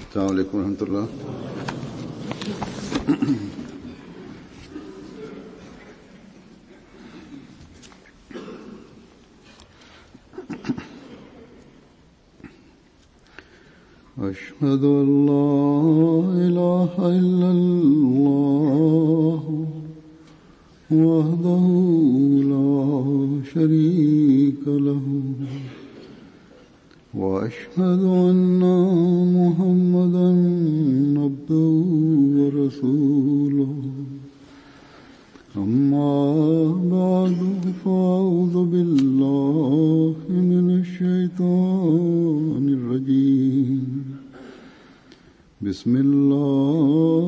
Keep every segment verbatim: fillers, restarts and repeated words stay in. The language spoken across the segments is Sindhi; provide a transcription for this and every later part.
السلام علیکم ورحمۃ اللہ۔ أشهد أن لا إله إلا الله وحده لا شريك له وأشهد أن محمدا عبده ورسوله أما بعد فأعوذ بالله من الشيطان الرجيم بسم الله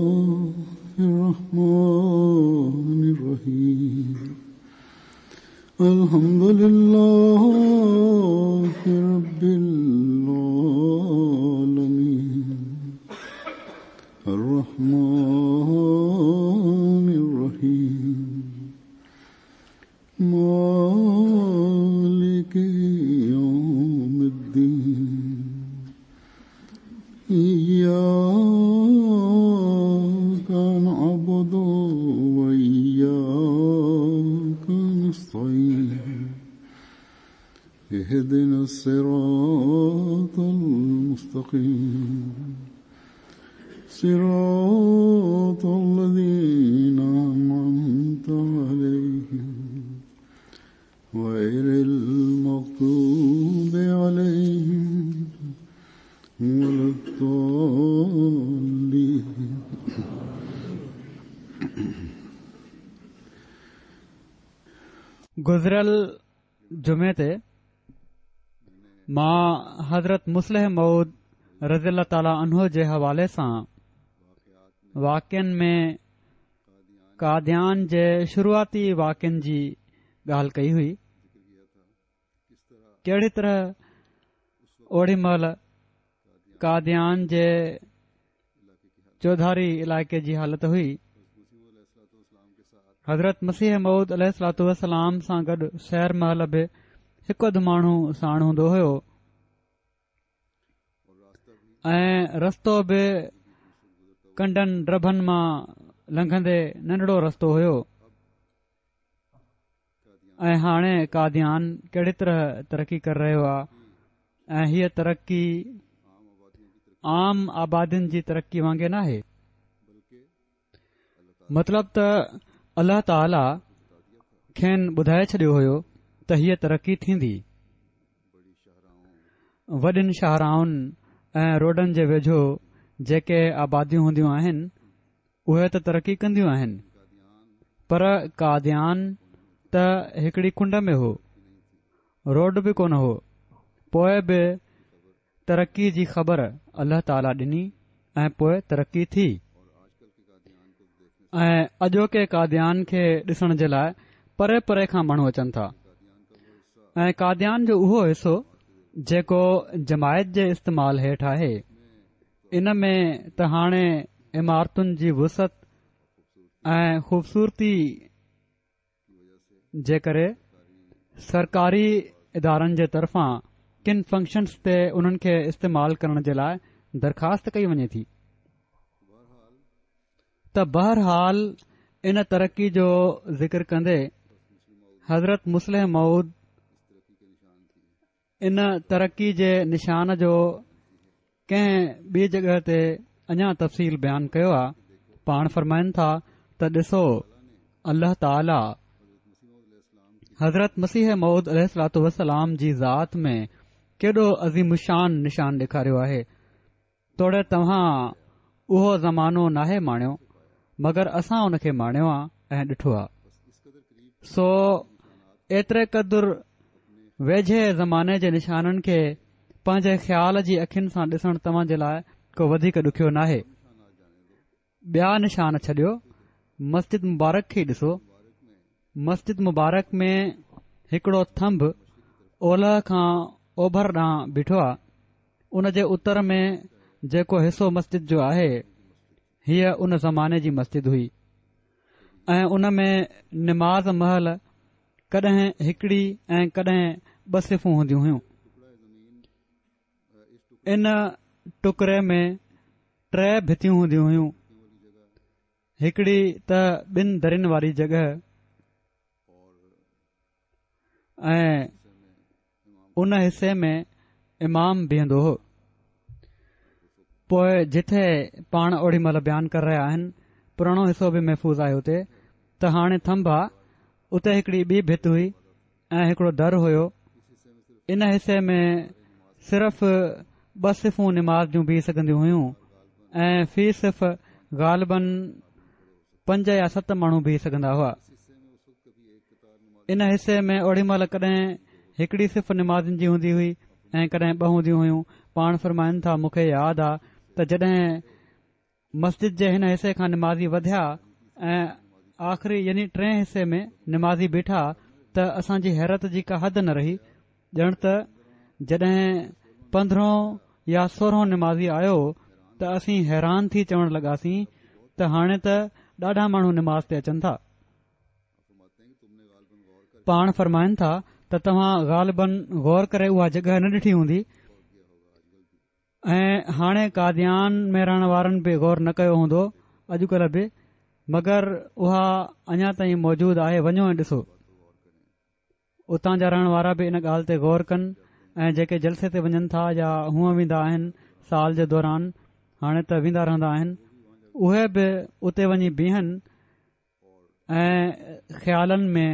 الرحمن الرحيم الحمد لله رب العالمين الرحمن الرحيم مالك يوم الدين إياك نعبد وإياك نستعين اهدنا الصراط المستقيم صراط الذين أنعمت عليهم غير المغضوب عليهم ولا الضالين۔ گذريل جمعي تي مان حضرت مصلح موعود رضي الله تعالٰي عنه جي حوالي سان واقعن ۾ قاديان جي شروعاتي واقعن جي ڳالهه ڪئي هئي۔ ڪهڙي طرح اوڏي مهل قاديان جي چوڌاري علائقي جي حالت هئي۔ حضرت مسيح موعود عليه الصلوة والسلام سان گڏ سير مهل به هڪ اڌ ماڻهو ساڻ هوندو هيو ۽ رستو به ڪنڊن ڊڀن مان لنگهندي ننڍڙو رستو هيو۔ ۽ هاڻي قاديان ڪهڙي طرح ترقي ڪري رهيو آهي ۽ هيءَ ترقي عام آبادين جي ترقي وانگي ناهي۔ مطلب ته الله تعاليٰ کين ٻڌائي ڇڏيو هيو ته هيءَ ترقي ٿيندي۔ وڏين شاهراهن ۽ روڊن جي ويجهو جيڪي آباديون هونديون آهن اهي ته ترقي ڪنديون آهن، پر قاديان ته هڪڙي ڪنڊ ۾ هو، روڊ به ڪونه هو۔ پوءِ به ترقي جي خبر الله تعاليٰ ڏني ۽ پوءِ ترقي ٿي۔ ۽ اڄوڪي قاديان کي ڏسڻ جي لاءِ پري پري کان ماڻهو اچن ٿا۔ ۽ قاديان جو اهو حصو جيڪو جماعت جي استعمال هيٺ آهي، ان ۾ ته هاڻي عمارتن جي وسعت ۽ خوبصورتي جي ڪري سرڪاري ادارن جي طرفان ڪن فنڪشنس تي انهن کي استعمال ڪرڻ جي لاءِ درخواست ڪئي وڃي ٿي۔ ته بهرحال ان ترقي جو ذڪر ڪندي حضرت مصلح موعود ان ترقي جي نشان جو ڪنهن ٻي جڳهه تي اڃا تفصيل بيان ڪيو آهي۔ پاڻ فرمائن ٿا ته ڏسو، الله تعاليٰ حضرت مسيح موعود عليه الصلوة والسلام جي ذات ۾ ڪيڏو عظيم الشان نشان ڏيکاريو آهي۔ توڙي توهان اهو زمانو ناهي ماڻيو، مگر اسان ان کي ماڻيو آهي ۽ ڏٺو آهي۔ سو ايتري قدر ويجهي زماني جي نشانن کي پنهنجي خيال جي اکين سان ڏسڻ توهان جي لاءِ ڪو وڌيڪ ڏکيو ناهي۔ ٻيا نشان ڇڏيو، مسجد مبارڪ کي ڏسو۔ مسجد مبارڪ ۾ هڪڙو ٿنڀ اولهه کان اوڀر ڏانهن بيٺو آهي۔ ان جي اتر ۾ جيڪو حصو مسجد جو آهي، هيءَ ان زماني جي مسجد هئي ۽ ان ۾ نماز مهل ڪڏهن هڪڙي ۽ ڪڏهن ٻه صفون هونديون هيون۔ ان ٽڪري ۾ ٽي ڀتيون هونديون هيون. هڪڙي ته ٻن درين واري جڳهه ۽ ان حصي ۾ امام بيهندو هو. پوء جٿي پاڻ اوڏي مهل بيان ڪري رهيا آهن، پراڻو حصو به محفوظ آهي اتي ته هاڻي ٿنڀ آ، اتي هڪڙي ٻي ڀت هئي ۽ هڪڙو در هيو. ان حصي ۾ صرف ٻه صفون نماز جون بيهي سگهنديون هيون ۽ في صف غالباً پنج يا ست ماڻهو بيهي سگهندا هئا. ان حصي ۾ اوڏي مهل ڪڏهن هڪڙي صف نمازين جي هوندي هئي ۽ ڪڏهن ٻه هونديون هيون. پاڻ فرمائن ٿا مون کي ياد آ ته جڏهن مسجد جي هن حصي کان نمازي وڌيا ۽ آخري يعني ٽئين حصي ۾ نمازي بيٺا ته اسان جي حيرت جي ڪا حد نه رهي. ڄڻ ته جڏهن پندرهون يا سورهون نمازي آيو ته اسين حيران ٿي چوڻ لڳاسين ته هاڻي ته ڏاڍا ماڻهو نماز تي اچن ٿا. پاڻ فرمائن ٿا ته توهان غالباً غور ڪري اها جڳهه نه ڏٺي هوندي ۽ هاڻي قاديان ۾ رهڻ وارن به غور نه ڪيو هوندو اڄڪلهه به، مگر اها اڃا تائين موجود آهي. وڃو ۽ ڏسو. اتان جا رهڻ وارا به ان ڳالهه تي غور ڪن ۽ جيڪي جلسي تي وڃن ٿا يا هونء ويندا آهن سال جي دوران، هاڻي ته ويندا رهندا آهن، اهي به اتي وڃي بيهن ۽ خيالن ۾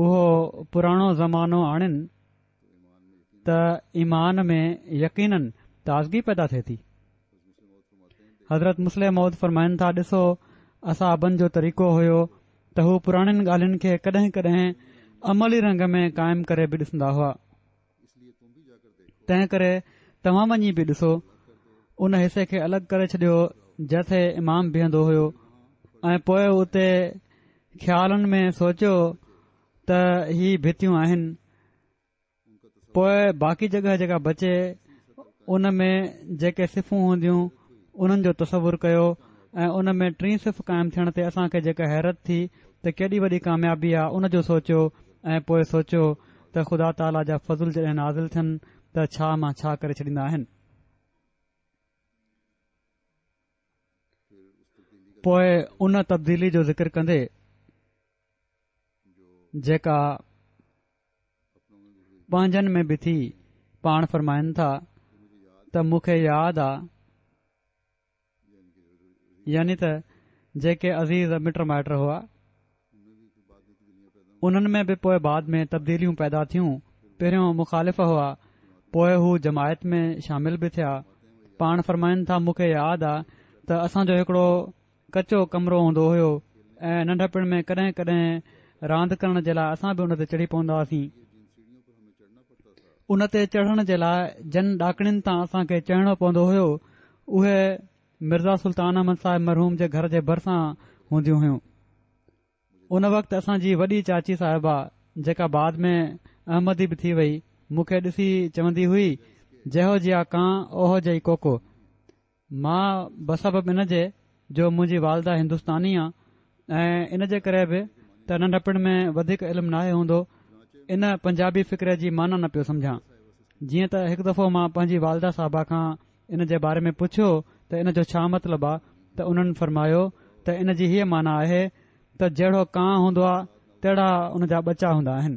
اهو پراڻو زمانو آڻن ته ايمان ۾ يقيناً تازگي پيدا ٿئي ٿي. حضرت مصلح موعود فرمائن ٿا ڏسو اصحابن جو طريقو هيو ته هو پراڻين ڳالهين کي ڪڏهن ڪڏهن عملي رنگ ۾ قائم ڪري به ڏسندا هئا. تنهن ڪري توهان وڃي به ڏسو. ان حصي کي الڳ ڪري ڇڏيو جتي امام بيهندو هيو ۽ پوء اتي خيالن ۾ سوچيو ته هي ڀتيون آهن. پوء باقي جڳهه جيڪا بچي ان ۾ جيڪي صفون هونديون انهن جو تصور ڪيو ۽ ان ۾ ٽين صف قائم ٿيڻ تي اسان کي جيڪا حيرت ٿي ته ڪيڏي وڏي ڪاميابي آ ان جو سوچيو ۽ پوء سوچيو ته خدا تعاليٰ جا فضل جڏهن نازل ٿين ته ڇا مان ڇا ڪري ڇڏيندا آهن. پوء ان تبديلي جو ذڪر ڪندي جيڪا پنهنجن ۾ به ٿي، پاڻ فرمائن ٿا ته مون کي ياد آ، يعني ته جيڪي عزيز مٽ مائٽ هئا انهن ۾ به پوء بعد ۾ تبديليون پيدا ٿيون. پهريون مخالف هئا، پوء هو جماعت ۾ شامل به ٿيا. پاڻ فرمائن ٿا مون کي ياد آ ته اسان جو هڪڙو ڪچو ڪمرو هوندو هيو ۽ ننڍپڻ ۾ ڪڏهن ڪڏهن راند ڪرڻ جي لاء اسان به ان تي چڙهي پوندا هئاسين. ان تي چڙهڻ جي لاء جن ڏاڪڻين تان اسان کي چڙهڻو پوندو هيو اهي مرزا سلطان احمد صاحب مرحوم جي گهر جي ڀرسان هونديون هيون. ان وقت اسان جي وڏي چاچي صاحبه جيڪا بعد ۾ احمدي به ٿي وئي، مون کي ڏسي چوندي هئي جهو جيا ڪان اوهو جئي ڪوڪو. مان بسبب ان جي جو منهنجي والده هندستاني آ ۽ ان جي ڪري به ته ننڍپڻ ۾ وڌيڪ علم ناهي هوندو، ان پنجابي فقري جي معنيٰ نه پيو سمجهان. جيئن ته هڪ دفعو مان پنهنجي والده صاحبه کان ان جي باري ۾ پڇيو ته ان جو ڇا مطلب آ ته انهن فرمايو ته ان جي هيء معنيٰ آهي ته جهڙو ڪانء هوندو آ تهڙا ان جا ٻچا هوندا آهن.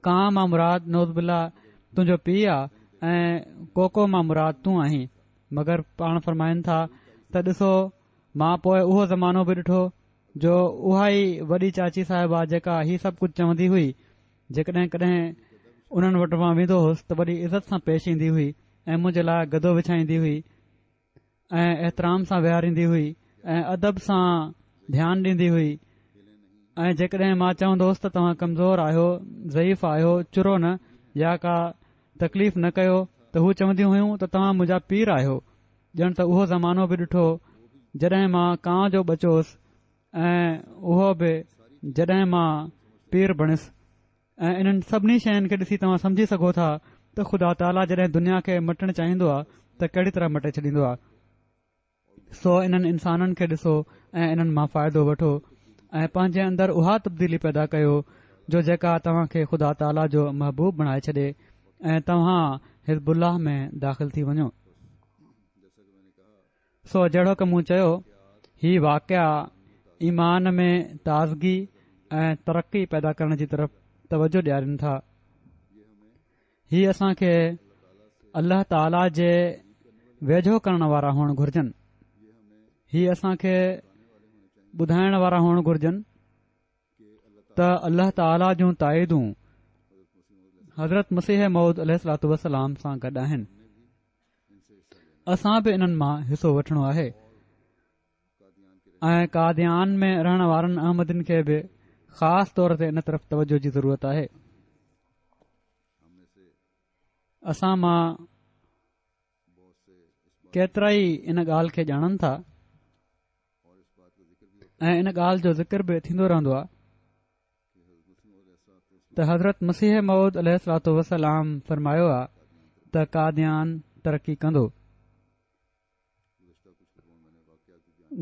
ڪانء مان مراد نعوذ بالله تنهنجو پيء آ ۽ ڪوڪو مان مراد تون آهين. مگر پاڻ فرمائن ٿا ته ڏسو مان پوء اهو زمانو به ڏٺو جو اها ئي وڏي چاچي صاحبه جيڪا هي سڀ ڪجهه چوندي هئي، جيڪڏهن ڪڏهن انهن وٽ مان ويندو هوس ته وڏي عزت سان پيش ايندي هئي ۽ منهنجي لاء گدو وڇائيندي هئي ۽ احترام سان ويهاريندي هئي ۽ ادب سان ڌيان ڏيندي هئي ۽ جيڪڏهن مان چوندو هوس ته توهان ڪمزور آهيو، ضعيف آهيو، چرو نه يا ڪا تڪليف نه ڪيو ته هو چونديون هيون ته توهان منهنجا پير آهيو. ڄڻ ته اهو زمانو به ڏٺو جڏهن مان ڪانء جو ٻچو هوس ۽ اهو به جڏهن مان پير بڻيس ۽ انهن سڀني شين کي ڏسي توهان سمجهي سگهو ٿا ته خدا تعاليٰ جڏهن دنيا کي مٽڻ چاهيندو آهي ته ڪهڙي طرح مٽي ڇڏيندو آهي. سو انهن انسانن کي ڏسو ۽ انهن مان فائدو وٺو ۽ پنهنجي اندر اها تبديلي پيدا ڪيو جو جيڪا توهان کي خدا تعاليٰ جو محبوب بڻائي ڇڏي ۽ توهان حزب الله ۾ داخل ٿي وڃو. سو جهڙوڪ مون چيو، هي واقعا ايمان ۾ تازگي ۽ ترقي پيدا ڪرڻ جي طرف توجه ڏيارين ٿا. هي اسان کي الله تعاليٰ جي ويجهو ڪرڻ وارا هئڻ گهرجن. هي اسان کي ٻڌائڻ وارا هئڻ گهرجن ته الله تعاليٰ جون تائيدون حضرت مسيح موعود عليه الصلوة والسلام سان گڏ آهن. اسان به انهن مان حصو وٺڻو آهي ۽ قاديان ۾ رهڻ وارن احمدين کي به خاص طور تي ان طرف توجه جي ضرورت آهي. اسان مان ڪيترا ئي ان ڳالهه کي ڄاڻن ٿا ۽ ان ڳالهه جو ذڪر به ٿيندو رهندو آهي ته حضرت مسيح موعود عليه الصلوة والسلام فرمايو آهي ته قاديان ترقي ڪندو.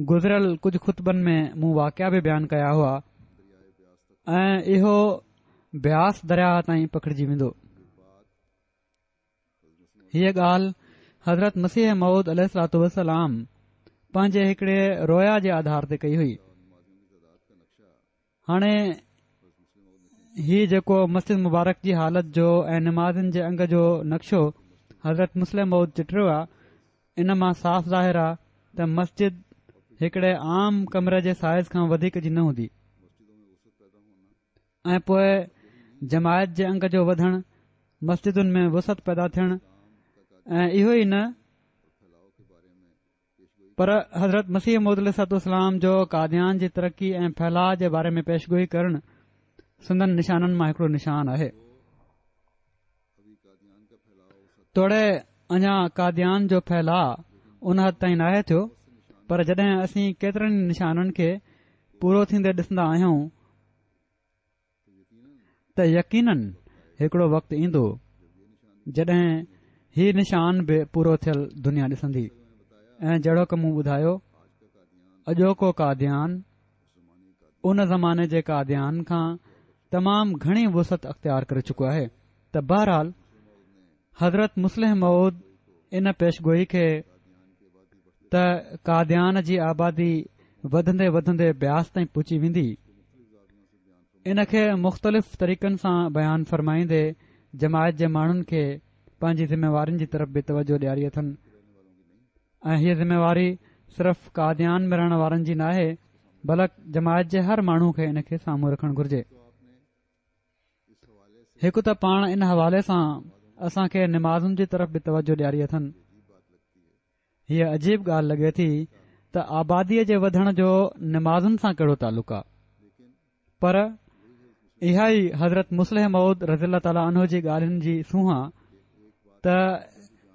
گذريل ڪجهه خطبن ۾ مون واقعا به بيان ڪيا هئا ۽ اهو بياس درياهه تائين پکڙجي ويندو. هيء ڳالهه حضرت مسيح موعود عليه الصلوة والسلام پنهنجي هڪڙي رويا جي آڌار تي ڪئي هئي. هاڻي هي جيڪو مسجد مبارڪ جي حالت جو ۽ نمازين جي انگ جو نقشو حضرت مصلح موعود چٽيو آ، ان مان صاف ظاهر آ ته مسجد هڪڙي عام ڪمري جي سائز کان وڌيڪ جي نه هوندي ۽ پوء جماعت جي انگ جو وڌڻ، مسجدن ۾ وسعت پيدا ٿيڻ ۽ اهو ئي نه پر حضرت مسيح موعود عليه الصلوة والسلام جو قاديان جي ترقي ۽ ڦهلاء جي باري ۾ پيشگوئي ڪرڻ سندن نشانن مان هڪڙو نشان آهي. توڙي اڃا قاديان جو ڦهلاء ان حد تائين ناهي ٿيو، پر جڏهن اسين ڪيترن ئي نشانن کي پورو ٿيندي ڏسندا آهيون ته يقينن هڪڙو وقت ايندو جڏهن هي نشان به پورو ٿيل دنيا ڏسندي. ۽ جهڙوڪ مون ٻڌايو، اڄوڪو قاديان ان زماني جي قاديان کان تمام گهڻي وسعت اختيار ڪري چڪو آهي. ته بهرحال حضرت مصلح موعود ان پيشگوئي کي ته قاديان جي آبادي وڌندي وڌندي بياس تائين پهچي ويندي، ان کي مختلف طريقن سان بيان فرمائيندي جماعت جي ماڻهن کي پنهنجي ذميوارين جي طرف به توجه ڏياري اٿن. ۽ هيء ذميواري صرف قاديان ۾ رهڻ وارن جي ناهي، بلڪ جماعت جي هر ماڻهو کي ان کي سامهون رکڻ گهرجي. هڪ ته پاڻ ان حوالي سان اسان کي نمازن جي طرف به توجه ڏياري اٿن. هيء عجيب ڳالهه لڳي ٿي ته آباديء جي وڌڻ جو نمازن سان ڪهڙو تعلق آ، پر اها ئي حضرت مصلح موعود رضي الله تعالٰي عنه جي ڳالهين جي سونهن آ ته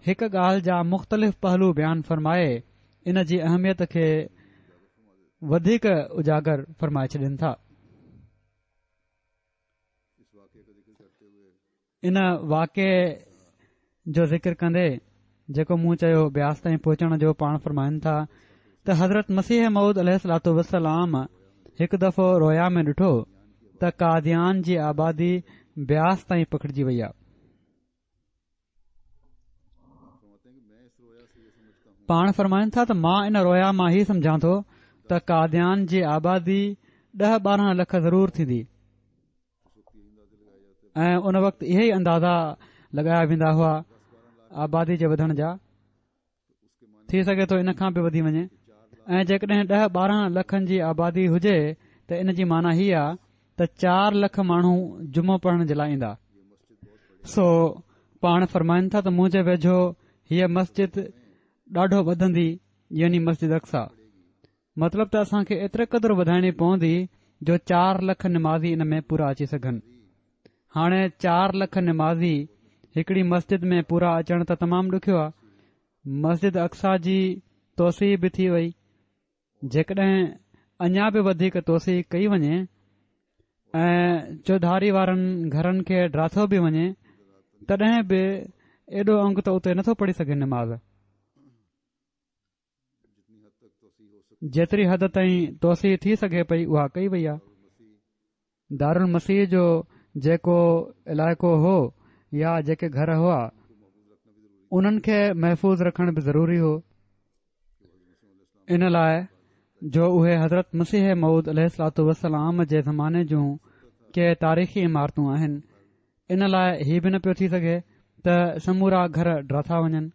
هڪ ڳالهه جا مختلف پهلو بيان فرمائي ان جي اهميت کي وڌيڪ اجاگر فرمائي ڇڏين ٿا. ان واقعي جو ذڪر ڪندي جيڪو مون چيو بياس تائين پهچڻ جو، پاڻ فرمائن ٿا ته حضرت مسيح موعود عليه الصلوة والسلام هڪ دفعو رويا ۾ ڏٺو ته قاديان جي آبادي بياس تائين پکڙجي وئي آهي. پاڻ فرمائن ٿا ته مان ان رويا مان هي سمجهان ٿو ته قاديان جي آبادي ڏهه ٻارهن لک ضرور ٿيندي ۽ ان وقت اهي ئي اندازا لڳايا ويندا هئا آبادي جي وڌڻ جا، ٿي سگهي ٿو ان کان به وڌي وڃي. ۽ جيڪڏهن ڏهه ٻارهن لکن جي آبادي هجي ته ان جي معنيٰ هي آ ته چار لک ماڻهو جمعو پڙهڻ جي لاء ايندا. سو پاڻ فرمائن ٿا ته منهنجي ويجهو هيء مسجد ڏاڍو وڌندي، يعني مسجد اقصيٰ. مطلب ته اسان کي ايتري قدر وڌائڻي پوندي جو چار لک نمازي ان ۾ پورا اچي سگهن. هاڻي چار لک نمازي هڪڙي مسجد ۾ پورا اچڻ ته تمام ڏکيو آ. مسجد اقصيٰ جي توسيع به ٿي وئي، جيڪڏهن اڃا به وڌيڪ توسيع ڪئي وڃي ۽ چوڌاري وارن گهرن کي ڊاٿو به وڃي تڏهن به ايڏو انگ ته اتي نٿو پڙهي سگهي نماز. جيتري حد تائين توسيع ٿي سگهي پئي اها ڪئي وئي آهي. دارالمسيح جو جيڪو علائقو هو يا جيڪي گهر هئا انهن کي محفوظ رکڻ به ضروري هو. ان لاء جو اهي حضرت مسيح موعود عليه الصلوة والسلام جي زماني جون ڪي تاريخي عمارتون آهن. ان لاء هي به نه پيو ٿي سگهي ته سمورا گهر ڊاٿا وڃن.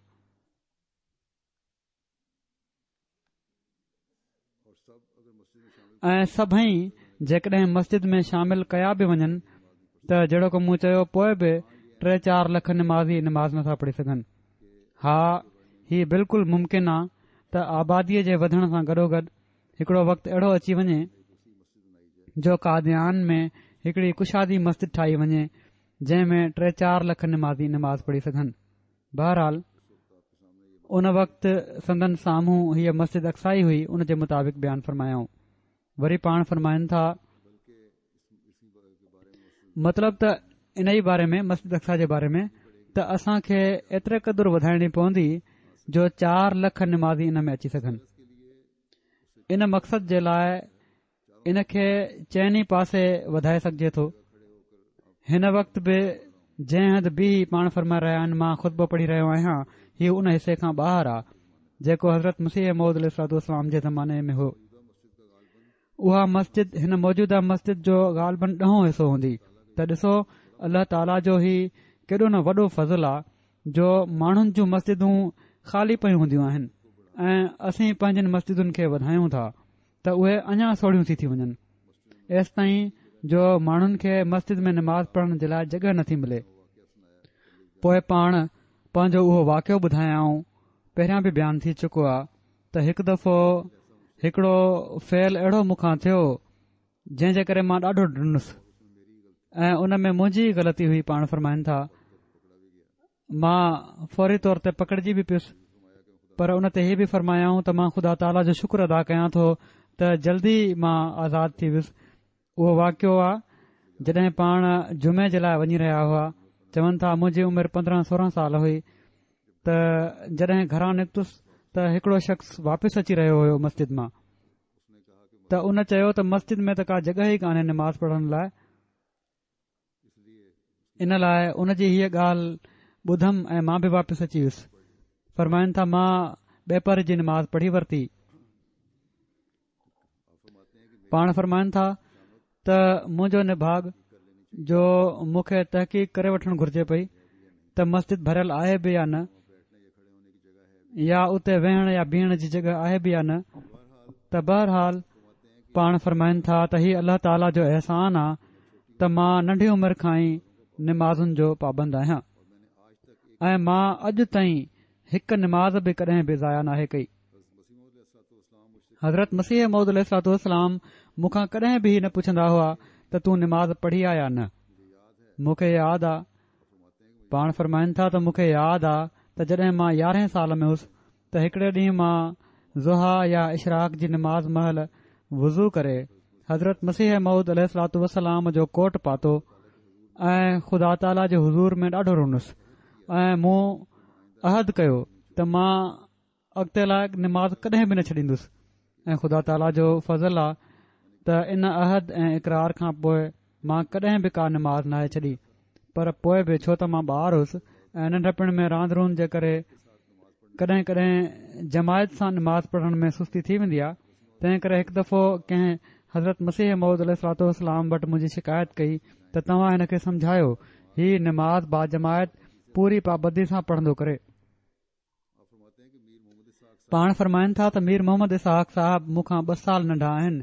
۽ سڀئي جيڪڏهن مسجد ۾ شامل ڪيا به وڃن ته جهڙوڪ مون چيو پوء به ٽي چار لک نمازي نماز نٿا پڙهي سگهن. ها، هي بلڪل ممڪن آ ته آباديء جي وڌڻ سان گڏوگڏ هڪڙو وقت اهڙو اچي وڃي جو قاديان ۾ هڪڙي ڪشادي مسجد ٺاهي وڃي جنهن ۾ ٽي چار لک نمازي نماز پڙهي سگهن. بهرحال ان وقت سندن سامهون هيء مسجد اقصيٰ ئي هئي، ان جي مطابق بيان فرمايائون. وري پاڻ فرمائن ٿا، مطلب ته ان ئي باري ۾ مسجد اقصيٰ جي باري ۾ ته اسان کي ايتري قدر وڌائڻي پوندي جو چار لک نمازي ان ۾ اچي سگهن. ان مقصد جي لاء ان کي چئني پاسي وڌائي سگهجي ٿو. هن وقت به جنهن هنڌ بيهي پاڻ فرمائي رهيا آهن مان خطبو پڙهي رهيو آهيان، هي ان حصي کان ٻاهر آ جيڪو حضرت مسيح موعود عليه الصلوة والسلام جي زماني ۾ هو. اها مسجد هن موجوده مسجد جو غالباً ڏهون حصو هوندي. ته ڏسو الله تعاليٰ جو هي ڪيڏو نه وڏو فضل آ جو ماڻهن جون مسجدون خالي پيون هونديون آهن ۽ اسين پنهنجين مسجدن کي وڌايون ٿا ته اهي اڃا سوڙهيون ٿي ٿي وڃن، ايستائين جو ماڻهن کي مسجد ۾ نماز پڙهڻ جي لاء جڳهه نٿي ملي. پوء پاڻ پنهنجو اهو واقعو ٻڌايائون، پهريان به بيان ٿي چڪو آ ته هڪ دفعو هڪڙو فعل اهڙو مون کان ٿيو جنهن جي ڪري مان ڏاڍو ڊنس ۽ ان ۾ منهنجي ئي غلطي هئي. پاڻ فرمائن ٿا، مان فوري طور تي پڪڙجي به پيس، پر ان تي هي به فرمايائون ته مان خدا تعاليٰ جو شڪر ادا ڪيان ٿو ته جلدي مان آزاد ٿي ويس. اهو واقعو آ جڏهن پاڻ جمعي جي لاء وڃي رهيا هئا. چون ٿا منهنجي عمر پندرهن سورهن سال هئي ته جڏهن گهران نڪتس ته هڪڙو شخص واپس اچي رهيو هيو مسجد مان، ته ان چيو ته مسجد ۾ ته ڪا جڳهه ئي ڪانهي نماز پڙهڻ لاء. ان لاء ان جي هيء ڳالهه ٻڌم ۽ مان به واپس اچي ويس. فرمائن ٿا مان ٻپهر جي نماز پڙهي ورتي. پاڻ فرمائن ٿا ته منهنجو نڀاڳ جو مون کي تحقيق ڪري وٺڻ گهرجي پئي ته مسجد ڀريل آهي به يا نه، يا اتي ويهڻ يا بيهڻ جي جڳهه آهي به يا نه. ته بهرحال پاڻ فرمائن ٿا ته هي الله تعاليٰ جو احسان آ ته مان ننڍي عمر کان ئي نمازن جو پابند آهيان ۽ مان اڄ تائين هڪ نماز به ڪڏهن به ضايع ناهي ڪئي. حضرت مسيح موعود عليه الصلوة والسلام مون کان ڪڏهن به هي نه پڇندا هئا ته تون نماز پڙهي آ يا نه. مون کي ياد آ، پاڻ فرمائن ٿا ته مون کي ياد آ ته جڏهن مان يارهين سال ۾ هوس ته هڪڙي ڏينهن مان ضحيٰ يا اشراق جي نماز مهل وضو ڪري حضرت مسيح موعود عليه الصلوة والسلام جو ڪوٽ پاتو ۽ خدا تعاليٰ جي حضور ۾ ڏاڍو رنس ۽ مون عهد ڪيو ته مان اڳتي لاء نماز ڪڏهن به نه ڇڏيندس ۽ خدا تعاليٰ جو فضل آ ته ان عهد ۽ اقرار کان پوء مان ڪڏهن به ڪا نماز ناهي ڇڏي. پر پوء به ڇو ته مان ٻار هوس ۽ ننڍپڻ ۾ راند روند جي ڪري ڪڏهن ڪڏهن جماعت سان نماز پڙهڻ ۾ سستي ٿي ويندي آ، تنهن ڪري هڪ دفعو ڪنهن حضرت مسيح موعود عليه الصلوة والسلام وٽ منهنجي شڪايت ڪئي ته توهان هن کي سمجهايو، هي نماز باجماعت پوري پابندي سان پڙهندو ڪري. پاڻ فرمائن ٿا ته مير محمد اسحاق صاحب مون کان ٻه سال ننڍا آهن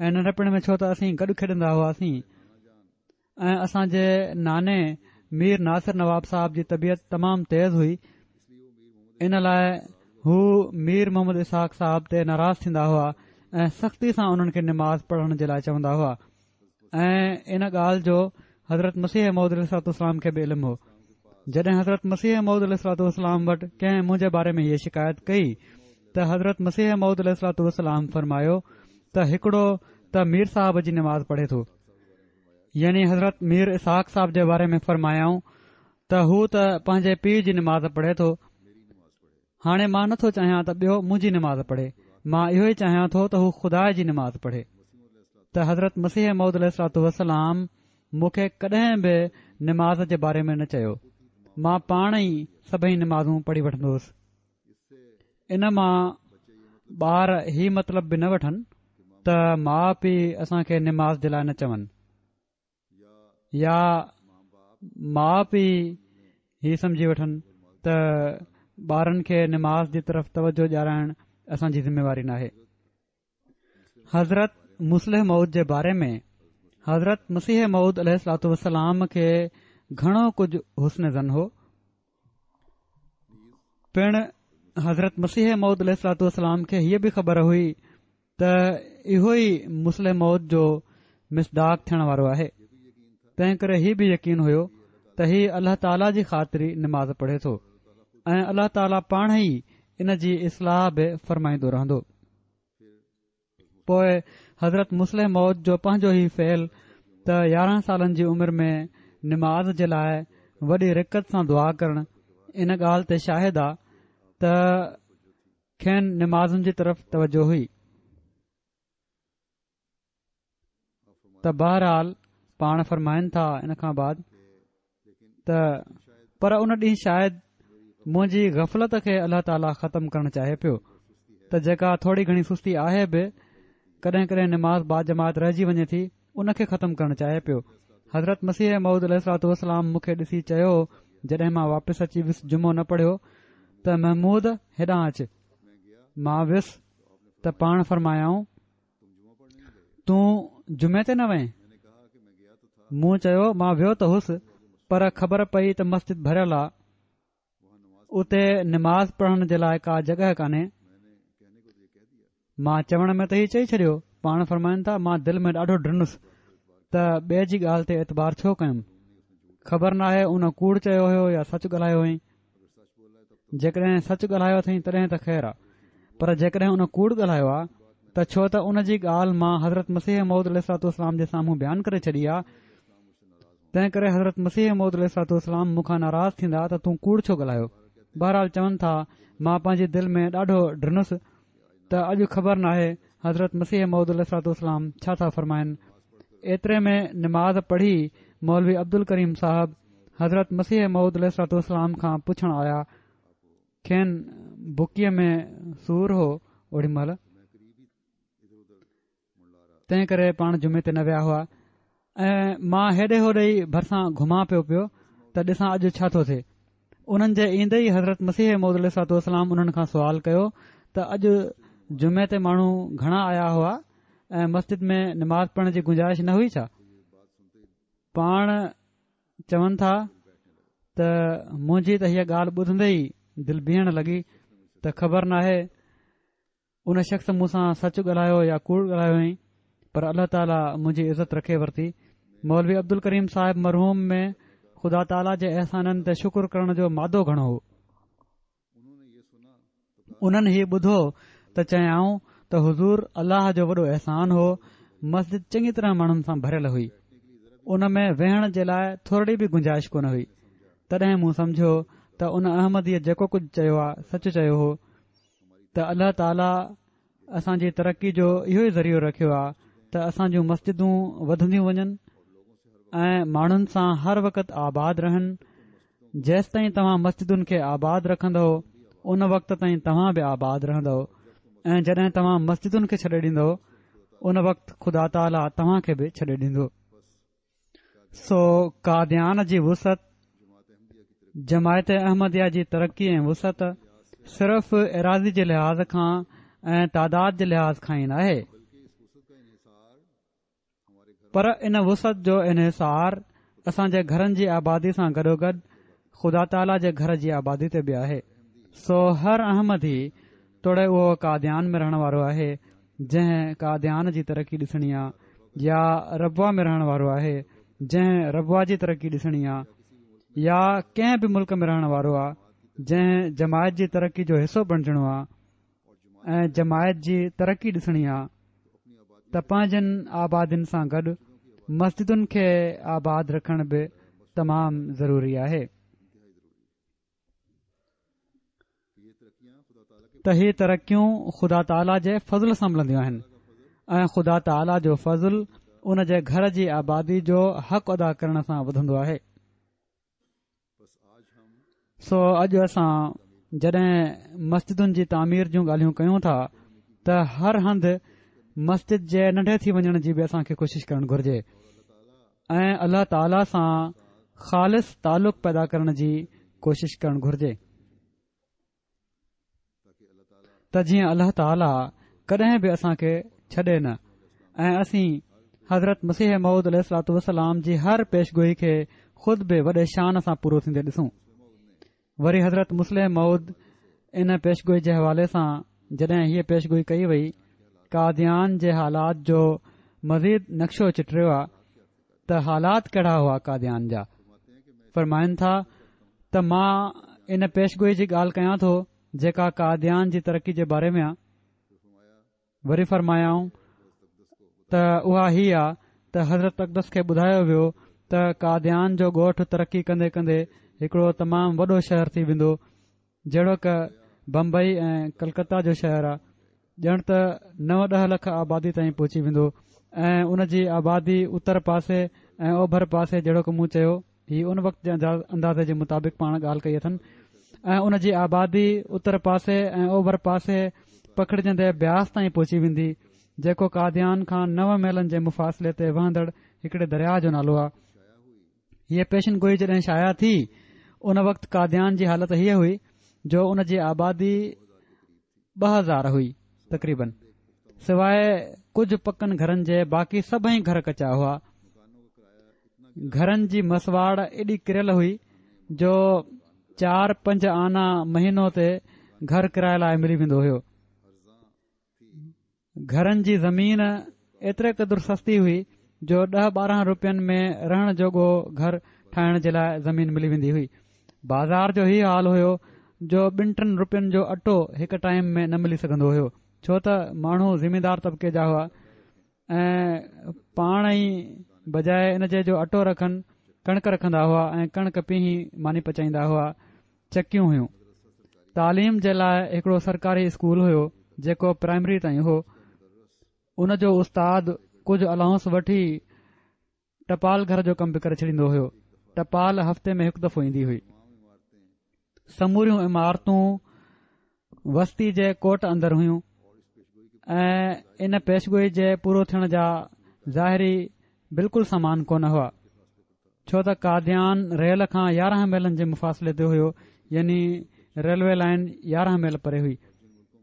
۽ ننڍپڻ ۾ ڇو ته اسين گڏ کيڏندا هئاسين ۽ اسان جي ناني مير ناصر نواب صاحب جي طبيعت تمام تيز هئي، ان لاء هو مير محمد اسحاق صاحب تي ناراض ٿيندا هئا ۽ سختي سان انهن کي نماز پڙهڻ جي لاء چوندا هئا ۽ ان ڳالهه جو حضرت مسيح موعود عليه الصلوة والسلام کي به علم هو. جڏهن حضرت مسيح موعود عليه الصلوة والسلام وٽ ڪنهن منهنجي باري ۾ هيء شڪايت ڪئي ته حضرت مسيح موعود عليه الصلوة والسلام فرمايو ته هڪڙو ته مير صاحب جي نماز پڙهي ٿو، يعني حضرت مير اسحاق صاحب جي باري ۾ فرمايائون ته هو ته پنهنجي پيء جي نماز پڙهي ٿو، هاڻي مان نٿو چاهيان ته ٻيو منهنجي نماز پڙهي، مان اهو ئي چاهيان ٿو ته هو خدا جي نماز پڙهي. ته حضرت مسيح موعود عليه الصلوة والسلام مون کي ڪڏهن به نماز جي باري ۾ نه چيو، مان پاڻ ئي سڀئي نمازون پڙهي وٺندو هوس. ان مان ٻار هي مطلب به نه وٺن ته ماءُ پيءُ اسان کي نماز جي لاءِ نه چون، يا ماءُ پيءُ هي سمجهي وٺن ته ٻارن کي نماز جي طرف توجه ڏيارائڻ اسان جي ذميواري ناهي. حضرت مصلح موعود جي باري ۾ حضرت مسيح موعود عليه الصلوة والسلام کي گهڻو ڪجهه حسن ظن هو. پڻ حضرت مسيح موعود عليه الصلوة والسلام کي هيء به خبر هئي ته اهو ئي مصلح موعود جو مصداق ٿيڻ وارو آهي، تنهن ڪري هي به يقين هيو ته هي الله تعاليٰ جي خاطر ئي نماز پڙهي ٿو ۽ الله تعاليٰ پاڻ ئي ان جي اصلاح به فرمائيندو رهندو. پوءِ حضرت مصلح موعود جو پنهنجو هي فعل ته يارهن سالن جي عمر ۾ نماز جي لاءِ وڏي رقت سان دعا ڪرڻ ان ڳالهه تي شاهد آ ته کين نمازن جي طرف توجه هئي. ته بهرحال پاڻ فرمائن ٿا ان کان بعد ته پر ان ڏينهن شايد منهنجي غفلت کي الله تعاليٰ ختم ڪرڻ چاهي پيو ته جيڪا ٿوري گهڻي سستي آهي به ڪڏهن ڪڏهن نماز باجماعت رهجي وڃي ٿي، ان کي ختم ڪرڻ چاهي پيو. حضرت مسيح موعود عليه الصلوة والسلام مون کي ڏسي چيو، جڏهن مان واپس اچي ويس جمعو نه پڙهيو، ته محمود هيڏانهن اچ. مان ويس ته پاڻ فرمايائون، تون جمعي تي نه وئين؟ مون چيو، مان ويو ته هوس، پر خبر پئي ته مسجد ڀريل آ، اتي نماز پڙهڻ جي لاءِ ڪا جڳهه ڪانهي. مان چوڻ ۾ ته هي چئي ڇڏيو. پاڻ فرمائن ٿا، مان دل ۾ ڏاڍو ڊنس ته ٻئي جي ڳالهه تي اعتبار ڇو ڪيم، خبر ناهي ان ڪوڙ چيو هيو يا سچ ڳالهايو هئائين. جيڪڏهن سچ ڳالهايو اٿئين تڏهن ته خير آ، پر جيڪڏهن ان ڪوڙ ڳالهايو آ ته ڇو ته ان جي ڳالهه مان حضرت مسيح موعود عليه الصلوة والسلام جي سامهون بيان ڪري ڇڏي آ، تنهن ڪري حضرت مسيح موعود عليه الصلوة والسلام مون کان ناراض ٿيندا ته تون ڪوڙ ڇو ڳالهايو. بهرحال چون ٿا، مان پنهنجي دل ۾ ڏاڍو ڊنس ته اڄ خبر ناهي حضرت مسيح موعود عليه الصلوة والسلام ڇا ٿا فرمائن. ايتري ۾ نماز پڙهي مولوي عبدالڪريم صاحب حضرت مسيح موعود عليه الصلوة والسلام کان پڇڻ آيا. کين بڪيءَ ۾ سور هو اوڏي مهل، تنهن ڪري پاڻ جمعي تي نه ويا هئا. ۽ مان هيڏي هوڏي ئي ڀرسان گهمان پيو پيو ته ڏسان اڄ ڇا ٿو ٿئي. انهن جي ايندي ئي حضرت مسيح موعود عليه الصلوة والسلام انهن کان سوال ڪيو ته اڄ جمعي تي ماڻهو گهڻا آيا هئا ۽ مسجد ۾ نماز پڙهڻ جي گنجائش نه هئي ڇا؟ پاڻ چون ٿا ته منهنجي ته هيءَ ڳالهه ٻڌندي ئي دل بيهڻ لڳي ته خبر ناهي ان شخص مون سان سچ ڳالهايو يا ڪوڙ ڳالهايو هئائين، پر الله تعاليٰ منهنجي عزت رکي ورتي. مولوي عبدالڪريم صاحب مرحوم ۾ خدا تعاليٰ جي احسانن تي شڪر ڪرڻ جو مادو گهڻو هو. انهن هي ٻڌو ته چيائون ته حضور الله جو وڏو احسان هو، مسجد چڱي طرح ماڻهن سان ڀريل هئي، ان ۾ ويهڻ جي لاءِ ٿورڙي به گنجائش ڪونه هئي. تڏهن مون سمجهيو ته ان احمديءَ جيڪو ڪجهه چيو آ سچ چيو هو، ته الله تعاليٰ اسان جي ترقي جو اهو ئي ذريعو رکيو آ ته اسان جون مسجدون وڌنديون وڃن ۽ ماڻهن سان هر وقت آباد رهن. جيستائين توهان مسجدن کي آباد رکندؤ ان وقت تائين توهان به آباد رهندؤ، ۽ جڏهن توهان مسجدن کي ڇڏي ڏيندؤ ان وقت خدا تعاليٰ توهان کي به ڇڏي ڏيندو. سو قاديان جي وسعت، جماعت احمديه جي ترقي ۽ وسعت صرف ايراضي جي لحاظ کان ۽ تعداد جي لحاظ کان ئي ناهي، پر ان وسعت جو انحصار اسان جي گهرن جي آبادي سان گڏوگڏ خدا تعاليٰ جي گهر جي آبادي تي به آهي. سو هر احمدي توڙي اهو قاديان ۾ رهڻ وارو آهي جنهن قاديان جي ترقي ڏسڻي آ، يا ربوه ۾ رهڻ وارو آهي جنهن ربوه جي ترقي ڏسڻي آ، يا ڪنهن به ملڪ ۾ رهڻ وارو آ جنهن جماعت جي ترقي جو حصو بڻجڻو آ ۽ جماعت جي ترقي ڏسڻي آ، ته پنهنجن آبادين سان گڏ مسجدن کي آباد رکڻ به تمام ضروري آهي. ته هي ترقيون خدا تعاليٰ جي فضل سان ملنديون آهن ۽ خدا تعاليٰ جو فضل ان جي گهر جي آبادي جو حق ادا ڪرڻ سان وڌندو آهي. سو اڄ اسان جڏهن مسجدن جي تعمير جون ڳالهيون ڪيون ٿا ته هر هنڌ مسجد جي ننڍي ٿي وڃڻ جي به اسان کي ڪوشش ڪرڻ گهرجي ۽ الله تعاليٰ سان خالص تعلق پيدا ڪرڻ جي ڪوشش ڪرڻ گهرجي ته جيئن الله تعاليٰ ڪڏهن به اسان کي ڇڏي نه ۽ اسين حضرت مسيح موعود عليه الصلوة والسلام جي هر پيشگوئي کي خود به وڏي شان سان پورو ٿيندي ڏسون. وري حضرت مصلح موعود ان پيشگوئي جي حوالي سان جڏهن هيء پيشگوئي ڪئي وئي، قاديان جي حالات جو مزيد نقشو چٽريو آ ته حالات ڪهڙا هئا قاديان جا. فرمائن ٿا ته مان ان پيشگوئي جي ڳالهه ڪيان ٿو جيڪا قاديان جي ترقي جي باري ۾ آ. وري فرمايائون ته اها هي آ ته حضرت اقدس کي ٻڌايو ويو ته قاديان جو ڳوٺ ترقي ڪندي ڪندي هڪڙو تمام وڏو شهر ٿي ويندو، جهڙوڪ بمبئي ۽ ڪلڪتا جو شهر آ، ڄڻ ته نو ڏهه لک آبادي تائين پهچي ويندو ۽ ان جي آبادي اتر پاسي ۽ اوڀر پاسي جهڙوڪ مون چيو هي ان وقت جي اندازي جي مطابق پاڻ ڳالهه ڪئي اٿن ۽ ان جي آبادي اتر پاسي ۽ اوڀر پاسي پکڙجندي بياس تائين پهچي ويندي، جيڪو قاديان کان نو ميلن جي مفاصلي تي وهندڙ هڪڙي درياهه جو نالو آهي. هيء پيشن گوئي جڏهن شايع ٿي ان وقت قاديان جي حالت هيء هئي جو ان جي آبادي ٻه هزار هئي تقريبن، سواء ڪجهه پڪن گهرن جي باقي سڀئي گهر ڪچا هئا. گهرن جي مسواڙ ايڏي ڪريل هئي جو چار پنج آنا مهينو تي گهر ڪرائي لاء ملي ويندو هيو. گهرن جي زمين ايتري قدر سستي هئي جو ڏهه ٻارهن روپين ۾ رهڻ جوڳو گهر ٺاهڻ جي لاء زمين ملي ويندي هئي. بازار جو هي حال هيو جو ٻن ٽن روپين جو اٽو هڪ ٽائيم ۾ نه ملي سگهندو هيو، ڇو ته ماڻهو زميندار طبقي جا هئا ۽ پاڻ ئي بجاء ان جي جو اٽو رکن ڪڻڪ رکندا هئا ۽ ڪڻڪ پيهي ماني پچائيندا هئا. چڪيون هيون. تعليم جي لاء هڪڙو سرڪاري اسڪول هيو جيڪو پرائمري تائين هو. ان جو استاد ڪجهه الائونس وٺي ٽپال گهر جو ڪم به ڪري ڇڏيندو هيو. ٽپال هفتي ۾ هڪ دفعو ايندي هئي. سموريون عمارتون وستي جي ڪوٽ اندر هيون ۽ ان پيشگوئي جي پورو ٿيڻ جا ظاهري بلڪل سامان ڪونه هئا، ڇو ته قاديان ريل کان يارهن ميلن جي مفاصلي تي هيو، يعني ريلوي لائين يارهن ميل پري هئي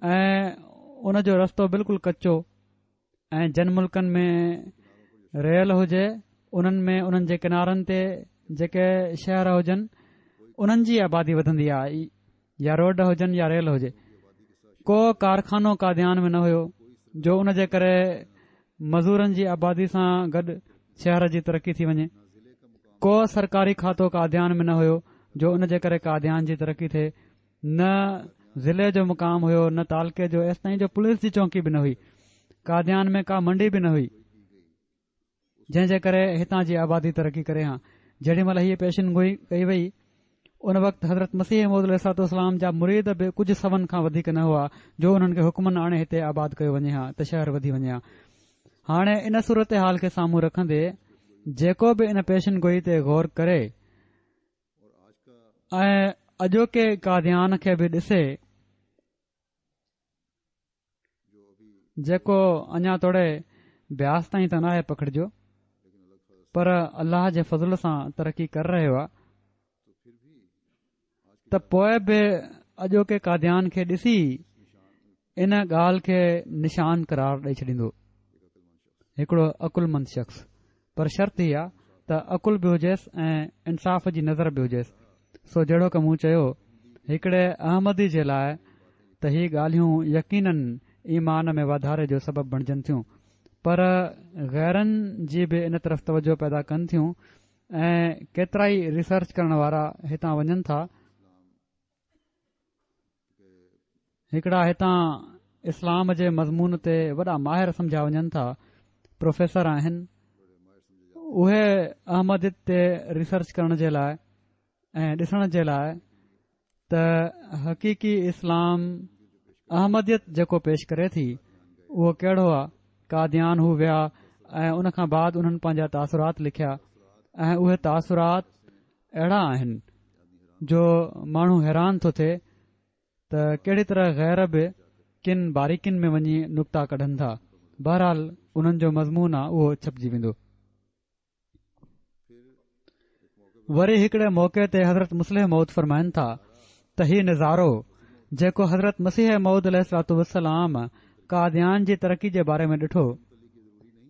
۽ ان جو رستو بلڪل ڪچو ۽ جن ملڪن ۾ ريل هجي انهن ۾ انهن جي ڪنارن تي جيڪي شهر هجن انهن جي آبادي وڌندي آهي، يا روڊ هجن يا ريل هجي. ڪو ڪارخانو قاديان ۾ نه هيو جو ان جي ڪري مزورن جي آبادي سان گڏ شهر جي ترقي ٿي وڃي. ڪو سرڪاري کاتو قاديان ۾ نه هيو جو ان جي ڪري قاديان جي ترقي ٿئي. نه ضلعي جو مقام هيو نه تعلقي جو، ايستائين جو پوليس جي چونڪي به نه هئي. قاديان ۾ ڪا منڊي به نه هئي جنهن جي ڪري هتان جي آبادي ترقي ڪري ها. جيڏي مهل هيء پيشن گوئي ڪئي وئي ان وقت حضرت مسيح موعود عليه الصلوة والسلام جا مريد به ڪجهه سون کان وڌيڪ نه هئا جو انهن کي حڪمن آڻي هتي آباد ڪيو وڃي ها ته شهر وڌي وڃي ها. هاڻي ان صورتحال کي سامهون رکندي جيڪو به ان پيشن گوئي تي غور ڪري ۽ اڄوڪي قاديان کي به ڏسي جيڪو اڃا توڙي بياس تائين ته ناهي پکڙجيو پر الله جي فضل سان ترقي ڪري رهيو آهي ته پوء به اڄوڪي قاديان کي ڏسي ان ڳالهه کي نشان قرار ڏئي ڇڏيندو هڪڙو عقلمند شخص، پر شرط هي آ ته عقل به هجيس ۽ انصاف جي نظر به هجيس. سو جهڙوڪ مون چيو، هڪڙي احمدي جي لاء ته هي ڳالهيون يقيناً ايمان ۾ واڌاري جو سبب بڻجن ٿيون، پر غيرن جي به ان طرف توجه پيدا ڪن ٿيون ۽ ڪيترائي ريسرچ ڪرڻ وارا هتان وڃن ٿا. هڪڙا هتان اسلام جي مضمون تي وڏا ماهر سمجهيا وڃن ٿا، پروفيسر آهن، اهي احمديت تي ريسرچ ڪرڻ جي لاء ۽ ڏسڻ جي لاء ته حقيقي اسلام احمديت جيڪو پيش ڪري ٿي اهو ڪهڙو آ. قاديان هو ويا ۽ ان کان بعد انهن پنهنجا تاثرات لکيا ۽ اهي تاثرات اهڙا آهن جو ماڻهو حيران ٿو ٿئي ته ڪهڙي طرح غير به ڪن باريڪين ۾ وڃي نڪتا ڪڍن ٿا. بهرحال انهن جو مضمون آ اهو ڇپجي ويندو. وري هڪڙي موقعي تي حضرت مصلح موعود فرمائن ٿا ته هي نظارو جيڪو حضرت مسيح موعود عليه الصلوة والسلام قاديان جي ترقي جي باري ۾ ڏٺو،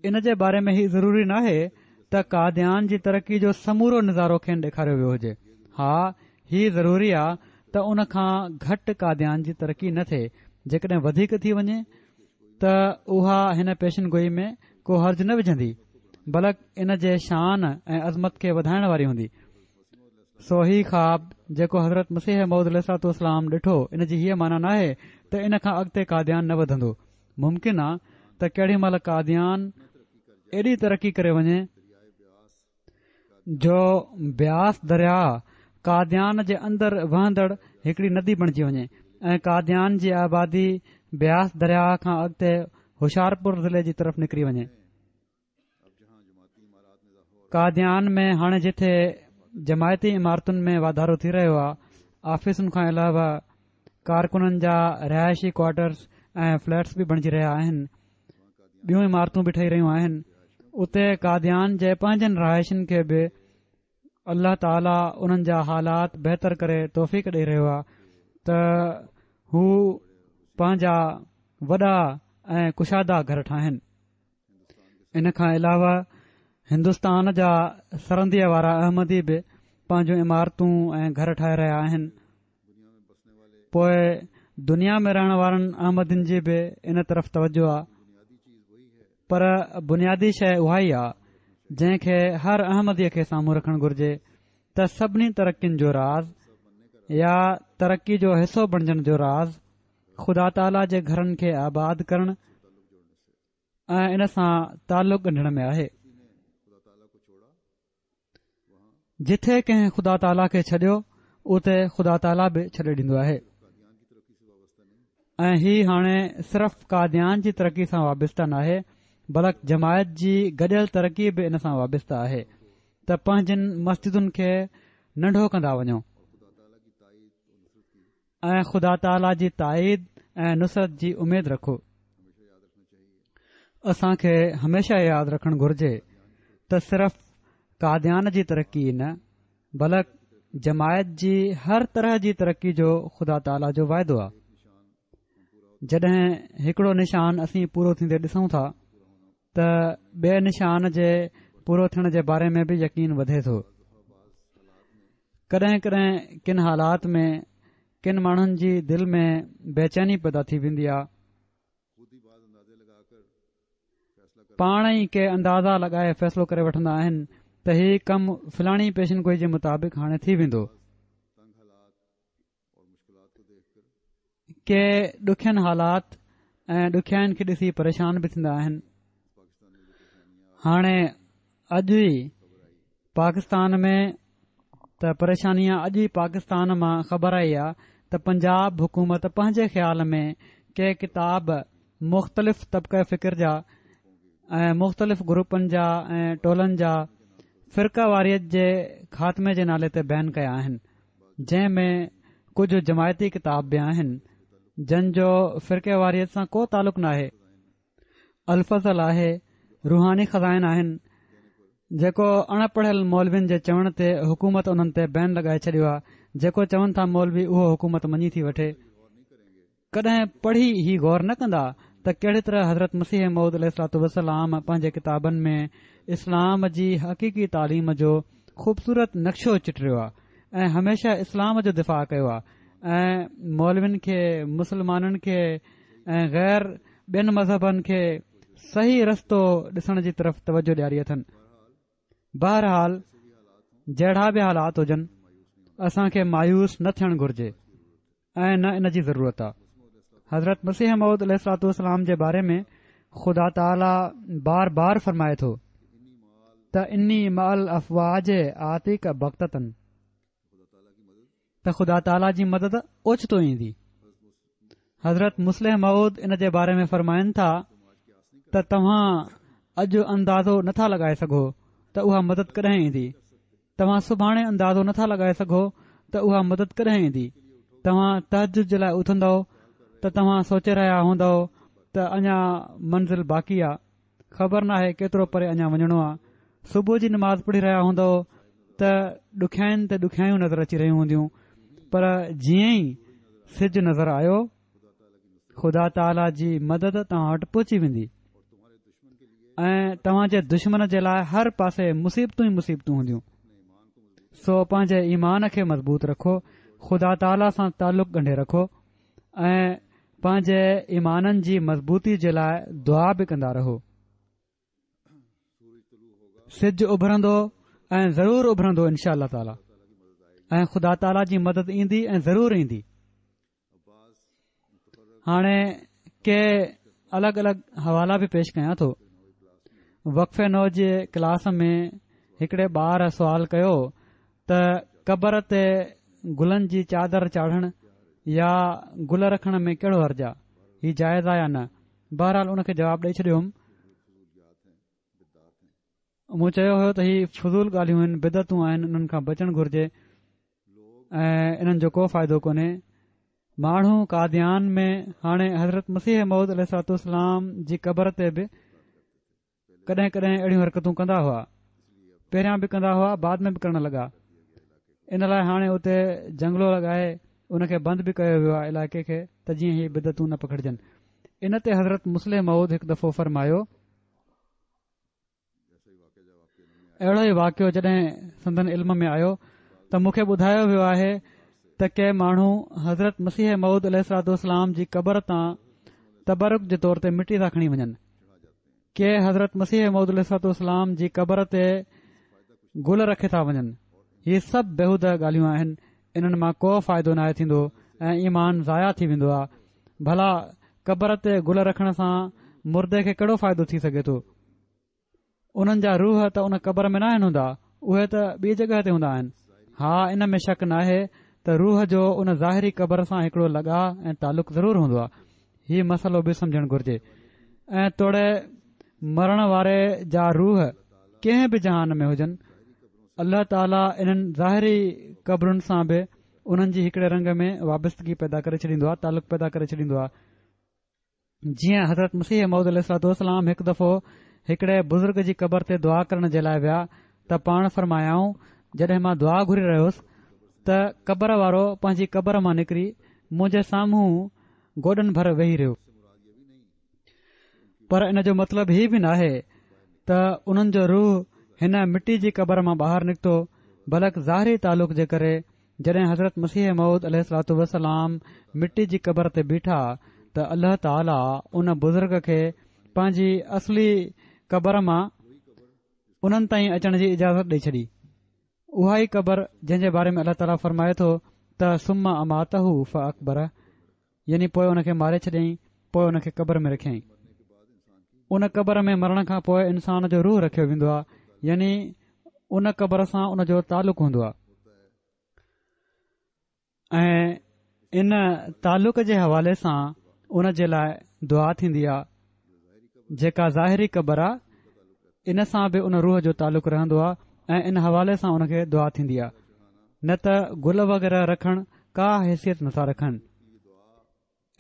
ان جي باري ۾ هي ضروري ناهي ته قاديان جي ترقي جو سمورو نظارو کين ڏيکاريو ويو هجي. ها، هي ضروري آ ته ان کان گهٽ قاديان جي ترقي نه ٿئي. جيڪڏهن وڌيڪ ٿي وڃي ته اها هن پيشن گوئي ۾ ڪو حرج نه وجهندي، بلڪ ان جي شان ۽ عظمت کي وڌائڻ واري هوندي. سو هي خواب جيڪو حضرت مسيح موعود عليه الصلوة والسلام ڏٺو، ان جي هيء معنيٰ ناهي ته ان کان اڳتي قاديان نه وڌندو. ممڪن آ ته ڪهڙي مهل قاديان ايڏي ترقي ڪري وڃي جو بياس درياء قاديان جي اندر وهندڙ هڪڙي ندي بڻجي وڃي ۽ قاديان جي آبادي بياس درياء کان اڳتي هوشيارپور ضلعي جي طرف نڪري وڃي. قاديان ۾ هاڻي جٿي جماعتي عمارتن ۾ واڌارو ٿي رهيو آهي، آفيسن کان علاوه ڪارڪنن جا رهائشي ڪوارٽرز ۽ فليٽس به بڻجي رهيا آهن، ٻيون عمارتون به ٺهي رهيون آهن، اتي قاديان جي پنهنجن رهائشين کي به الله تعاليٰ انهن جا حالات بهتر ڪري توفيق ڏئي رهيو آهي ته هو پنهنجا وڏا ۽ ڪشادا گهر ٺاهن. ان کان علاوه هندستان جا سرنديء وارا احمدي به پنهنجون عمارتون ۽ گهر ٺاهي رهيا آهن. پوء دنيا ۾ رهڻ وارن احمدين جي به ان طرف توجه آهي، پر بنيادي شيء اها ئي آهي جنهن کي هر احمديء کي سامهون رکڻ گهرجي ته سڀني ترقين جو راز يا ترقي جو حصو بڻجڻ جو راز خدا تعاليٰ جي گهرن کي آباد ڪرڻ ۽ ان سان تعلق ڳنڍڻ ۾ آهي. جٿي ڪنهن خدا تعاليٰ کي ڇڏيو اتي خدا تعاليٰ به ڇڏي ڏيندو آهي. ۽ هي هاڻي صرف قاديان جي ترقي سان وابسته ناهي، بلڪ جماعت جي گڏيل ترقي به ان سان وابسته آهي ته پنهنجن مسجدن کي ننڍو ڪندا وڃو ۽ خدا تعاليٰ جي تائيد ۽ نصرت جي اميد رکو. اسان کي هميشه ياد رکڻ گهرجي ته صرف قاديان جي ترقي نه، بلڪ جماعت جي هر طرح جي ترقي جو خدا تعاليٰ جو واعدو آهي. جڏهن هڪڙو نشان اسين پورو ٿيندي ڏسون ٿا ته ٻئي نشان جي پورو ٿيڻ جي باري ۾ به يقين وڌي ٿو. ڪڏهن ڪڏهن ڪن حالات ۾ ڪن ماڻهن جي دل ۾ بيچيني پيدا ٿي ويندي آهي. پاڻ ئي ڪي اندازا لڳائي فيصلو ڪري وٺندا آهن ته هي ڪم فلاڻي پيشن گوئي جي مطابق هاڻي ٿي ويندو. ڪي ڏکين حالات ۽ ڏکيائين کي ڏسي پريشان به ٿيندا آهن. هاڻي اڄ ئي پاڪستان ۾ ته پريشاني آ، اڄ ئي پاڪستان مان خبر آئي آ ته پنجاب حڪومت پنهنجي خيال ۾ ڪي ڪتاب مختلف طبقه فڪر جا ۽ مختلف گروپن جا ۽ ٽولن جا فرقه واريت جي خاتمي جي نالي تي بين ڪيا آهن، جنهن ۾ ڪجهه جماعتي ڪتاب به آهن جن جو فرقه واريت سان ڪو تعلق ناهي. الفضل آهي، روحاني خزائن آهن، جيڪو اڻ پڙهيل مولوين جي چوڻ تي حڪومت انهن تي بين لڳائي ڇڏيو آهي، جيڪو چون ٿا مولوي اهو حڪومت مڃي ٿي وٺي. ڪڏهن پڙهي هي غور نه ڪندا ته ڪهڙي طرح حضرت مسيح موعود عليه الصلوة والسلام پنهنجي ڪتابن ۾ اسلام جي حقيقي تعليم جو خوبصورت نقشو چٽريو آهي ۽ هميشه اسلام جو دفاع ڪيو آهي ۽ مولوين کي، مسلمانن کي ۽ غير ٻين مذهبن کي صحيح رستو ڏسڻ جي طرف توجه ڏياري اٿن. بهرحال جهڙا به حالات هجن اسان کي مايوس نه ٿيڻ گهرجي ۽ نه ان جي ضرورت آ. حضرت مسيح موعود عليه الصلوة والسلام جي باري ۾ خدا تعاليٰ بار بار فرمائي ٿو ته اني مع الافواج آتيڪ بغتة، ته خدا تعاليٰ جي مدد اوچتو ايندي. حضرت مصلح موعود ان جي باري ۾ فرمائن ٿا ته توهان اڄ اندازو نٿا لڳائي سگهو ته اها مدد ڪڏهن ايندي، توهان سڀاڻي اندازو نٿا لڳائي سگهو ته اها مدد ڪڏهن ايندي. توهان تهجد جي لاء اٿندؤ ته ته توهان سوچي رهيا هوندؤ ته اڃا منزل باقي آ، خبر ناهي ڪيترو پري اڃا وڃڻو آ. صبح جي نماز پڙهي رهيا هوندؤ ته ڏکيائين تي ڏکيائيون نظر اچي رهيون هونديون، پر جيئن ئي سج نظر آيو خدا تعاليٰ جي مدد توهان وٽ پهچي ويندي ۽ توهان جي دشمن جي لاء هر پاسي مصيبتون ئي مصيبتون هونديون. سو پنهنجي ايمان کي مضبوط رکو، خدا تعاليٰ سان تعلق ڳنڍي رکو ۽ پنهنجي ايمانن جي مضبوطي جي لاء دعا به ڪندا رهو. سج اڀرندو ۽ ضرور اڀرندو انشاء الله تعاليٰ، ۽ خدا تعاليٰ جي مدد ايندي ۽ ضرور ايندي. هاڻي ڪي الڳ الڳ حوالا به پيش ڪيان ٿو. وقف نو جي ڪلاس ۾ هڪڙي ٻار سوال ڪيو ته قبر تي گلن جي چادر چاڙهڻ يا گل رکڻ ۾ ڪهڙو حرج آ، هي جائز آ يا نه؟ بهرحال ان کي جواب ڏئي ڇڏيو هوم. مون چيو هيو ته هي فضول ڳالهيون آهن، بدعتون آهن، انهن کان بچڻ گهرجي ۽ انهن جو ڪو فائدو ڪونهي. ماڻهو قاديان ۾ هاڻي حضرت مسيح موعود عليه الصلوة والسلام جي قبر تي به ڪڏهن ڪڏهن اهڙيون حرڪتون ڪندا هئا، پهريان به ڪندا هئا، بعد ۾ به ڪرڻ لڳا. ان لاء هاڻي اتي جنگلو لڳائي ان کي بند به ڪيو ويو آهي علائقي کي ته جيئن هي بدعتون نه پکڙجن. ان تي حضرت مصلح موعود هڪ دفعو فرمايو، اهڙو ئي واقعو جڏهن سندن علم ۾ آيو ته مون کي ٻڌايو ويو آهي ته ڪي ماڻهو حضرت مسيح موعود عليه الصلوة والسلام جي قبر تان تبرڪ جي طور تي مٽي ٿا کڻي وڃن، ڪي حضرت مسيح موعود عليه الصلوة والسلام جي قبر تي گل رکي ٿا وڃن. هي سڀ بيهوده ڳالهيون آهن، انهن مان ڪو فائدو ناهي ٿيندو ۽ ايمان ضايع ٿي ويندو آهي. ڀلا قبر تي گل رکڻ سان مردي کي ڪهڙو فائدو ٿي سگهي ٿو؟ انهن جا روح ته ان قبر ۾ ناهن هوندا، اهي ته ٻي جڳهه تي هوندا آهن. ها، ان ۾ شڪ ناهي ته روح جو ان ظاهري قبر سان هڪڙو لڳاء ۽ تعلق ضرور هوندو آهي. هي مسئلو به سمجهڻ گهرجي. ۽ توڙي مرڻ واري جا روح ڪنهن به جهان ۾ هجن، الله تعاليٰ انهن ظاهري قبرن سان به انهن جي هڪڙي رنگ ۾ وابستگي پيدا ڪري ڇڏيندو آهي، تعلق پيدا ڪري ڇڏيندو آهي. جيئن حضرت مسيح موعود عليه الصلوة والسلام هڪ دفعو هڪڙي بزرگ جي قبر تي دعا ڪرڻ جي لاء ويا ته پاڻ فرمايائون، جڏهن مان دعا گهري رهيو هوس ته قبر وارو پنهنجي قبر مان نڪري منهنجي سامهون گوڏن ڀر ويهي رهيو. پر ان جو مطلب هي به ناهي ته انهن جو روح هن مٽي جي قبر مان ٻاهر نڪتو، بلڪ ظاهري تعلق جي ڪري جڏهن حضرت مسيح موعود عليه الصلوة والسلام مٽي جي قبر تي بيٺا ته الله تعاليٰ ان بزرگ کي پنهنجي اصلي قبر مان انهن تائين اچڻ جي اجازت ڏئي ڇڏي. اها ئي قبر جنهن جي باري ۾ الله تعاليٰ فرمائي ٿو ته ثم اماته فاقبره، يعني پوء ان کي ماري ڇڏيائين، پوء ان کي قبر ۾ رکيائين. ان قبر ۾ مرڻ کان پوء انسان جو روح رکيو ويندو آهي، يعني ان قبر سان ان جو تعلق هوندو آهي ۽ ان تعلق جي حوالي سان ان جي لاء دعا ٿيندي آهي. جيڪا ظاهري قبر آهي ان سان به ان روح جو تعلق رهندو آهي ۽ ان حوالي سان ان کي دعا ٿيندي آهي، نه ته گل وغيره رکڻ ڪا حيثيت نٿا رکن.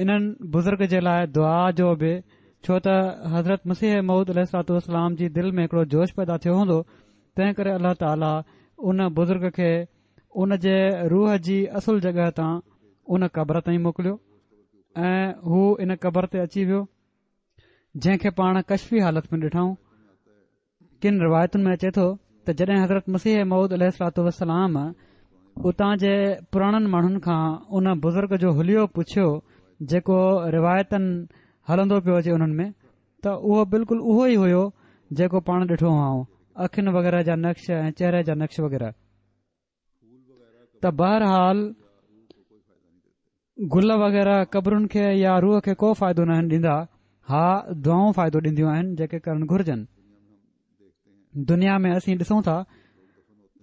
انهن بزرگ جي لاء دعا جو به، ڇو ته حضرت مسيح موعود عليه الصلوة والسلام جي دل ۾ هڪڙو جوش پيدا ٿيو هوندو، تنهن ڪري الله تعاليٰ ان بزرگ کي ان جي روح جي اصل جڳهه تان ان قبر تائين موڪليو ۽ هو ان قبر تي اچي ويو، جنهن کي پاڻ ڪشفي حالت ۾ ڏٺائون. ڪن روايتن ۾ اچي ٿو ته جڏهن حضرت مسيح موعود عليه الصلوة والسلام اتان جي پراڻن ماڻهن کان ان بزرگ جو حليو پڇيو جيڪو روايتن هلندو پيو اچي انهن ۾ ته اهو بلڪل اهو ئي هيو جيڪو پاڻ ڏٺو هئائون، اکين وغيره جا نقش ۽ چهري جا نقش وغيره. ته بهرحال گل وغيره قبرن کي يا روح کي ڪو فائدو ناهن ڏيندا، ها دعائون فائدو ڏينديون آهن جيڪي ڪرڻ گهرجن. دنيا ۾ اسين ڏسون ٿا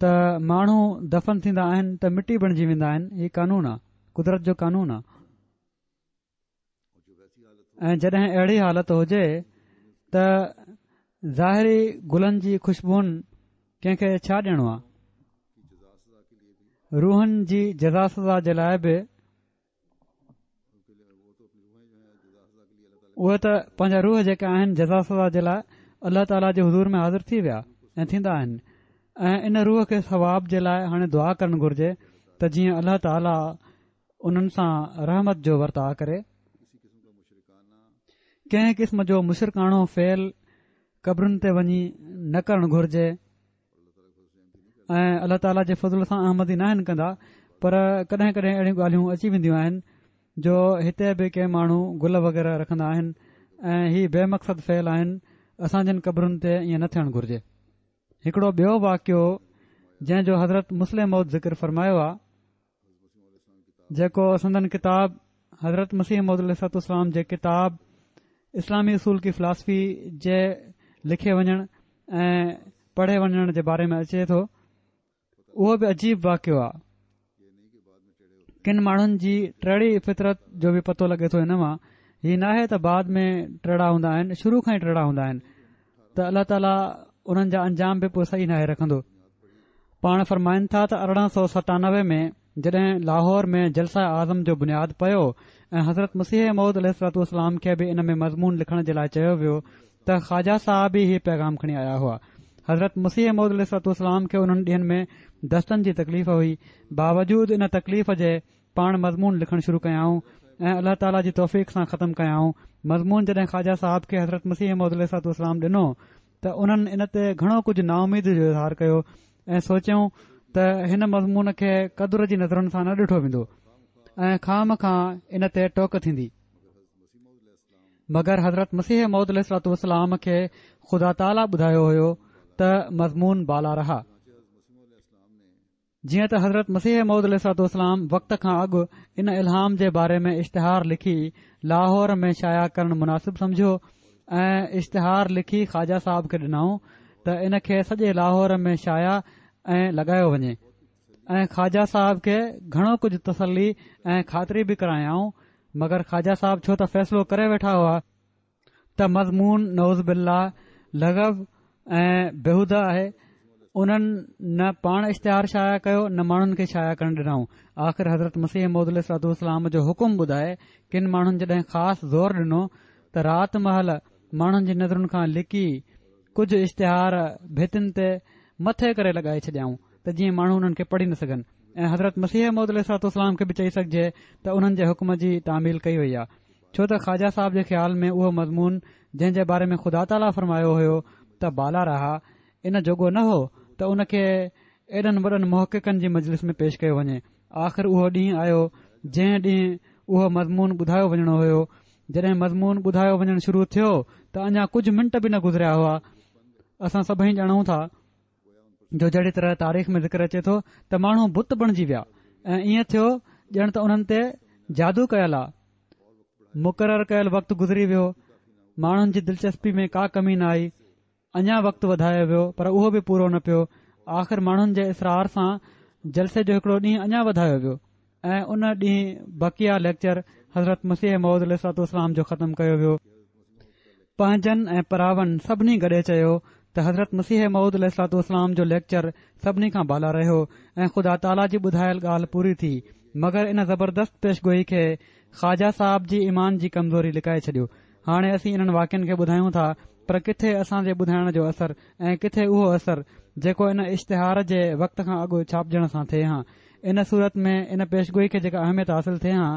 ته ماڻهو دفن ٿيندا آهن ته مٽي بڻجي ويندا آهن، هي قانون آ، قدرت جو قانون آ. ۽ جڏهن اهڙي حالت هجي ته ظاهري گلن جي خوشبوئن ڪنهن کي ڇا ڏيڻو آ؟ روحن جي جزا سزا جي لاء به اهي ته پنهنجا روح جيڪا آهن جزا سزا جي لاءِ الله تعاليٰ جي حضور ۾ حاضر ٿي ويا ۽ ٿيندا آهن ۽ ان روح کي ثواب جي لاءِ هاڻي دعا ڪرڻ گهرجي ته جيئن الله تعاليٰ انهن سان رحمت جو ورتاءُ ڪري. ڪنهن قسم جو مشرڪاڻو فعل قبرن تي وڃي نه ڪرڻ گهرجي ۽ الله تعاليٰ جي فضل سان احمدي نه آهن ڪندا، پر ڪڏهن ڪڏهن اهڙيون ڳالهيون اچي وينديون آهن جو هتي به ڪي ماڻهو گل وغيره رکندا آهن ۽ هي بي مقصد فعل آهن. اسان جن قبرن تي ائين نه ٿيڻ گهرجي. هڪڙو ٻيو واقعو جنهن جو حضرت مصلح موعود ذڪر فرمايو آهي، جيڪو سندن ڪتاب حضرت مسيح موعود عليه الصلوة والسلام جي ڪتاب اسلامي اصول ڪي فلاسفي جي لکي وڃڻ ۽ پڙهي وڃڻ جي باري ۾ اچي ٿو، اهو به عجيب واقعو آهي. ڪن ماڻهن جي ٽيڙي فطرت جو به پتو لڳي ٿو هن مان. هي ناهي ته بعد ۾ ٽيڙا هوندا آهن، شروع کان ئي ٽيڙا هوندا آهن ته الله تعاليٰ انهن جا انجام به پوءِ صحيح ناهي رکندو. پاڻ فرمائن ٿا ته ارڙهن سؤ ستانوي ۾ جڏهن لاهور ۾ جلسه اعظم جو بنياد پيو ۽ حضرت مسيح موعود عليه الصلوة والسلام کي به ان ۾ مضمون لکڻ جي لاءِ چيو ويو ته خواجه صاحب ئي هي پيغام کڻي آيا هئا. حضرت مسيح موعود عليه الصلوة والسلام کي انهن ڏينهن ۾ دستن جي تڪليف هئي، باوجود ان تڪليف جي پاڻ مضمون لکڻ شروع ڪيائون ۽ الله تعاليٰ جي توفيق سان ختم ڪيائون. مضمون جڏهن خواجه صاحب کي حضرت مسيح موعود عليه الصلوة والسلام ڏنو ته انهن ان تي گهڻو ڪجهه نااميدي جو اظهار ڪيو ۽ سوچيائون ته هن مضمون کي قدر جي نظرن سان نه ڏٺو ويندو ۽ خام کان ان تي ٽوڪ ٿيندي. مگر حضرت مسيح موعود عليه الصلوة والسلام کي خدا تعاليٰ ٻڌايو هيو ته مضمون بالا رها. جيئن ته حضرت مسيح موعود عليه الصلوة والسلام وقت کان اڳ ان الهام جي باري ۾ اشتهار لکي لاهور ۾ شايع ڪرڻ مناسب سمجهيو ۽ اشتهار لکي خواجه صاحب کي ڏنائون ته ان کي سڄي لاهور ۾ شايع ۽ لڳايو وڃي ۽ خواجه صاحب کي گهڻو ڪجهه تسلي ۽ خاطري به ڪرايائون. مگر خواجه صاحب ڇو ته فيصلو ڪري ويٺا هئا ته مضمون نعوذ بالله لغو ۽ بيهوده آهي، انهن نه پاڻ اشتهار شايع ڪيو نه ماڻهن کي شايع ڪرڻ ڏنائون. آخر حضرت مسيح موعود عليه الصلوة والسلام جو حڪم ٻڌائي ڪن ماڻهن جڏهن خاص زور ڏنو ته رات مهل ماڻهن جي نظرن کان لڪي ڪجهه اشتهار ڀتين تي مٿي ڪري لڳائي ڇڏيائون ته جيئن ماڻهو انهن کي پڙهي نه سگهن ۽ حضرت مسيح موعود عليه الصلوة والسلام کي به چئي سگهجي ته انهن جي حڪم جي تعميل ڪئي وئي آهي. ڇو ته خواجه صاحب جي خيال ۾ اهو مضمون جنهن جي باري ۾ خدا تعاليٰ فرمايو هيو ته بالا رها، ان جوڳو نه هو ته ان کي ايڏن وڏن محققن جي مجلس ۾ پيش ڪيو وڃي. آخر اهو ڏينهن آيو جنهن ڏينهن اهو مضمون ٻڌايو وڃڻو هيو. جڏهن مضمون ٻڌايو وڃڻ شروع ٿيو ته اڃا ڪجهه منٽ به نه گذريا هئا. اسان سڀئي ڄاڻون ٿا جو جهڙي طرح تاريخ ۾ ذڪر اچي ٿو ته ماڻهو بت بڻجي ويا ۽ ائين ٿيو ڄڻ ته انهن تي جادو ڪيل آ. مقرر ڪيل وقت گذري ويو، ماڻهن جي دلچسپي ۾ ڪا ڪمي نه آئي. اڃا وقت وڌايو ويو پر اهو به پورو نه پيو. آخر ماڻهن جي اصرار سان جلسي جو هڪڙو ڏينهن اڃا وڌايو ويو ۽ ان ڏينهن بقيه ليڪچر حضرت مسيح موعود عليه الصلوة والسلام جو ختم ڪيو ويو. پنهنجن ۽ پراون سڀني گڏي چيو ته حضرت مسيح موعود عليه الصلوة والسلام جو ليڪچر سڀني کان بالا رهيو ۽ خدا تعاليٰ جي ٻڌايل ڳالهه پوري ٿي. مگر ان زبردست پيشگوئي کي خواجه صاحب جي ايمان جي ڪمزوري لڪائي ڇڏيو. هاڻي اسين انهن واقعن کي ٻڌايون ٿا پر ڪٿي اسان جي ٻڌائڻ جو اثر ۽ ڪٿي اهو اثر جيڪو ان اشتهار جي وقت کان اڳ ڇاپجڻ سان ٿئي ها. ان صورت ۾ ان پيشگوئي کي جيڪا اهميت حاصل ٿئي ها،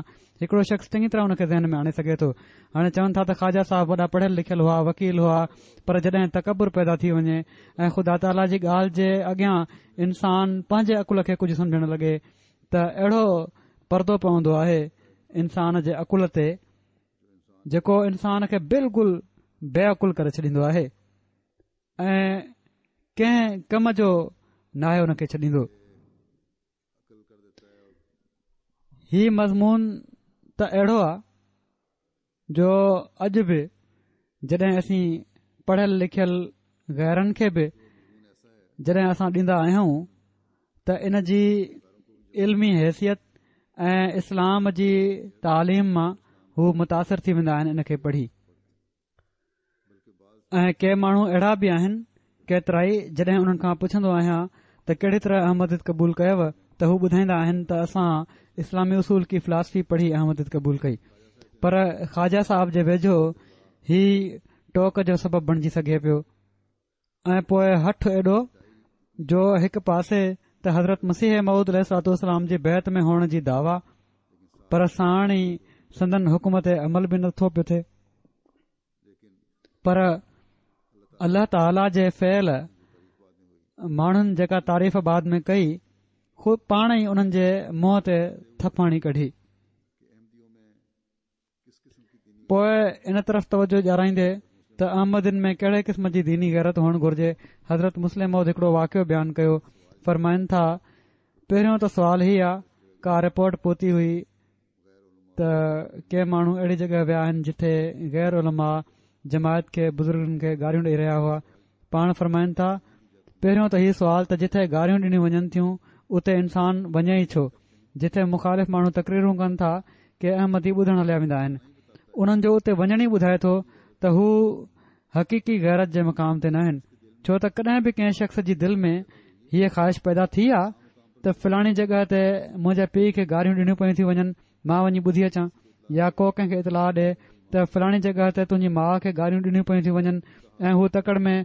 هڪڙو شخص چڱي طرح ان کي ذهن ۾ آڻي سگهي ٿو. هاڻي چون ٿا ته خواجه صاحب وڏا پڙهيل لکيل هئا، وڪيل هئا، پر جڏهن تڪبر پيدا ٿي وڃي ۽ خدا تعاليٰ جي ڳالهه جي اڳيان انسان پنهنجي عقل کي ڪجهه سمجهڻ لڳي ته اهڙو پردو پوندو آهي انسان جي عقل تي جيڪو انسان کي بلڪل بي عقل ڪري ڇڏيندو آهي ۽ ڪنهن ڪم جو ناهي ان کي ڇڏيندو. هي مضمون ته اهڙو آهي جو اڄ به جڏهن اسين پڙهيل لکيل غيرن کي به جڏهن اسان ڏيندا آهيون ته ان جي علمي حيثيت ۽ اسلام جي تعليم مان هو متاثر ٿي ويندا آهن ان کي پڙهي. ۽ ڪي ماڻهو اهڙا به آهن ڪيترائي جڏهن انهن کان پڇندو آهيان ته ڪهڙي طرح احمديت قبول ڪيو ته هو ٻڌائيندا آهن ته اسان اسلامي اصول ڪي فلاسفي پڙهي احمديت قبول ڪئي. پر خواجه صاحب جي ويجهو هي ٽوڪ جو سبب بڻجي سگهي پيو. ۽ پوء هٺ ايڏو جو هڪ پاسي ته حضرت مسيح موعود عليه الصلوة والسلام جي بيعت ۾ هئڻ جي دعويٰ، پر ساڻ ئي سندن حڪم تي عمل به نٿو پيو ٿئي. پر الله تعاليٰ جي فعل ماڻهن جيڪا تعريف بعد ۾ ڪئي، خود پاڻ ئي انهن جي منهن تي ٿڦ هڻي ڪڍي. پوء ان طرف توجه ڏيارائيندي ته احمدين ۾ ڪهڙي قسم جي ديني غيرت هئڻ گهرجي، حضرت مصلح موعود هڪڙو واقعو بيان ڪيو. فرمائن ٿا، پهريون ته سوال هي آ، ڪا رپورٽ پهتي هئي ته ڪي ماڻهو اهڙي جڳهه ويا آهن جتي غير علماء جماعت کي بزرگن کي گاريون ڏئي رهيا هئا. پاڻ فرمائن ٿا، پهريون ته هي سوال ته جتي گاريون ڏنيون وڃن ٿيون اتي انسان وڃي ئي ڇو؟ جتي مخالف ماڻهو تقريرون ڪن ٿا ڪي احمدي ٻڌڻ هليا ويندا آهن، انهن جو اتي وڃڻ ئي ٻڌائي ٿو ته هو حقيقي غيرت جي مقام تي ناهن. ڇو ته ڪڏهن به ڪنهن شخص جي دل ۾ هيء خواهش پيدا ٿي آ ته فلاڻي جڳهه تي منهنجي پيء کي گاريون ڏنيون پيون ٿيون وڃن، مان وڃي ٻڌي اچان، يا ڪو ڪنهن کي اطلاع ڏي ته فلاڻي جڳهه تي تنهنجي ماء کي گاريون ڏنيون پيون ٿيون وڃن ۽ هو تڪڙ ۾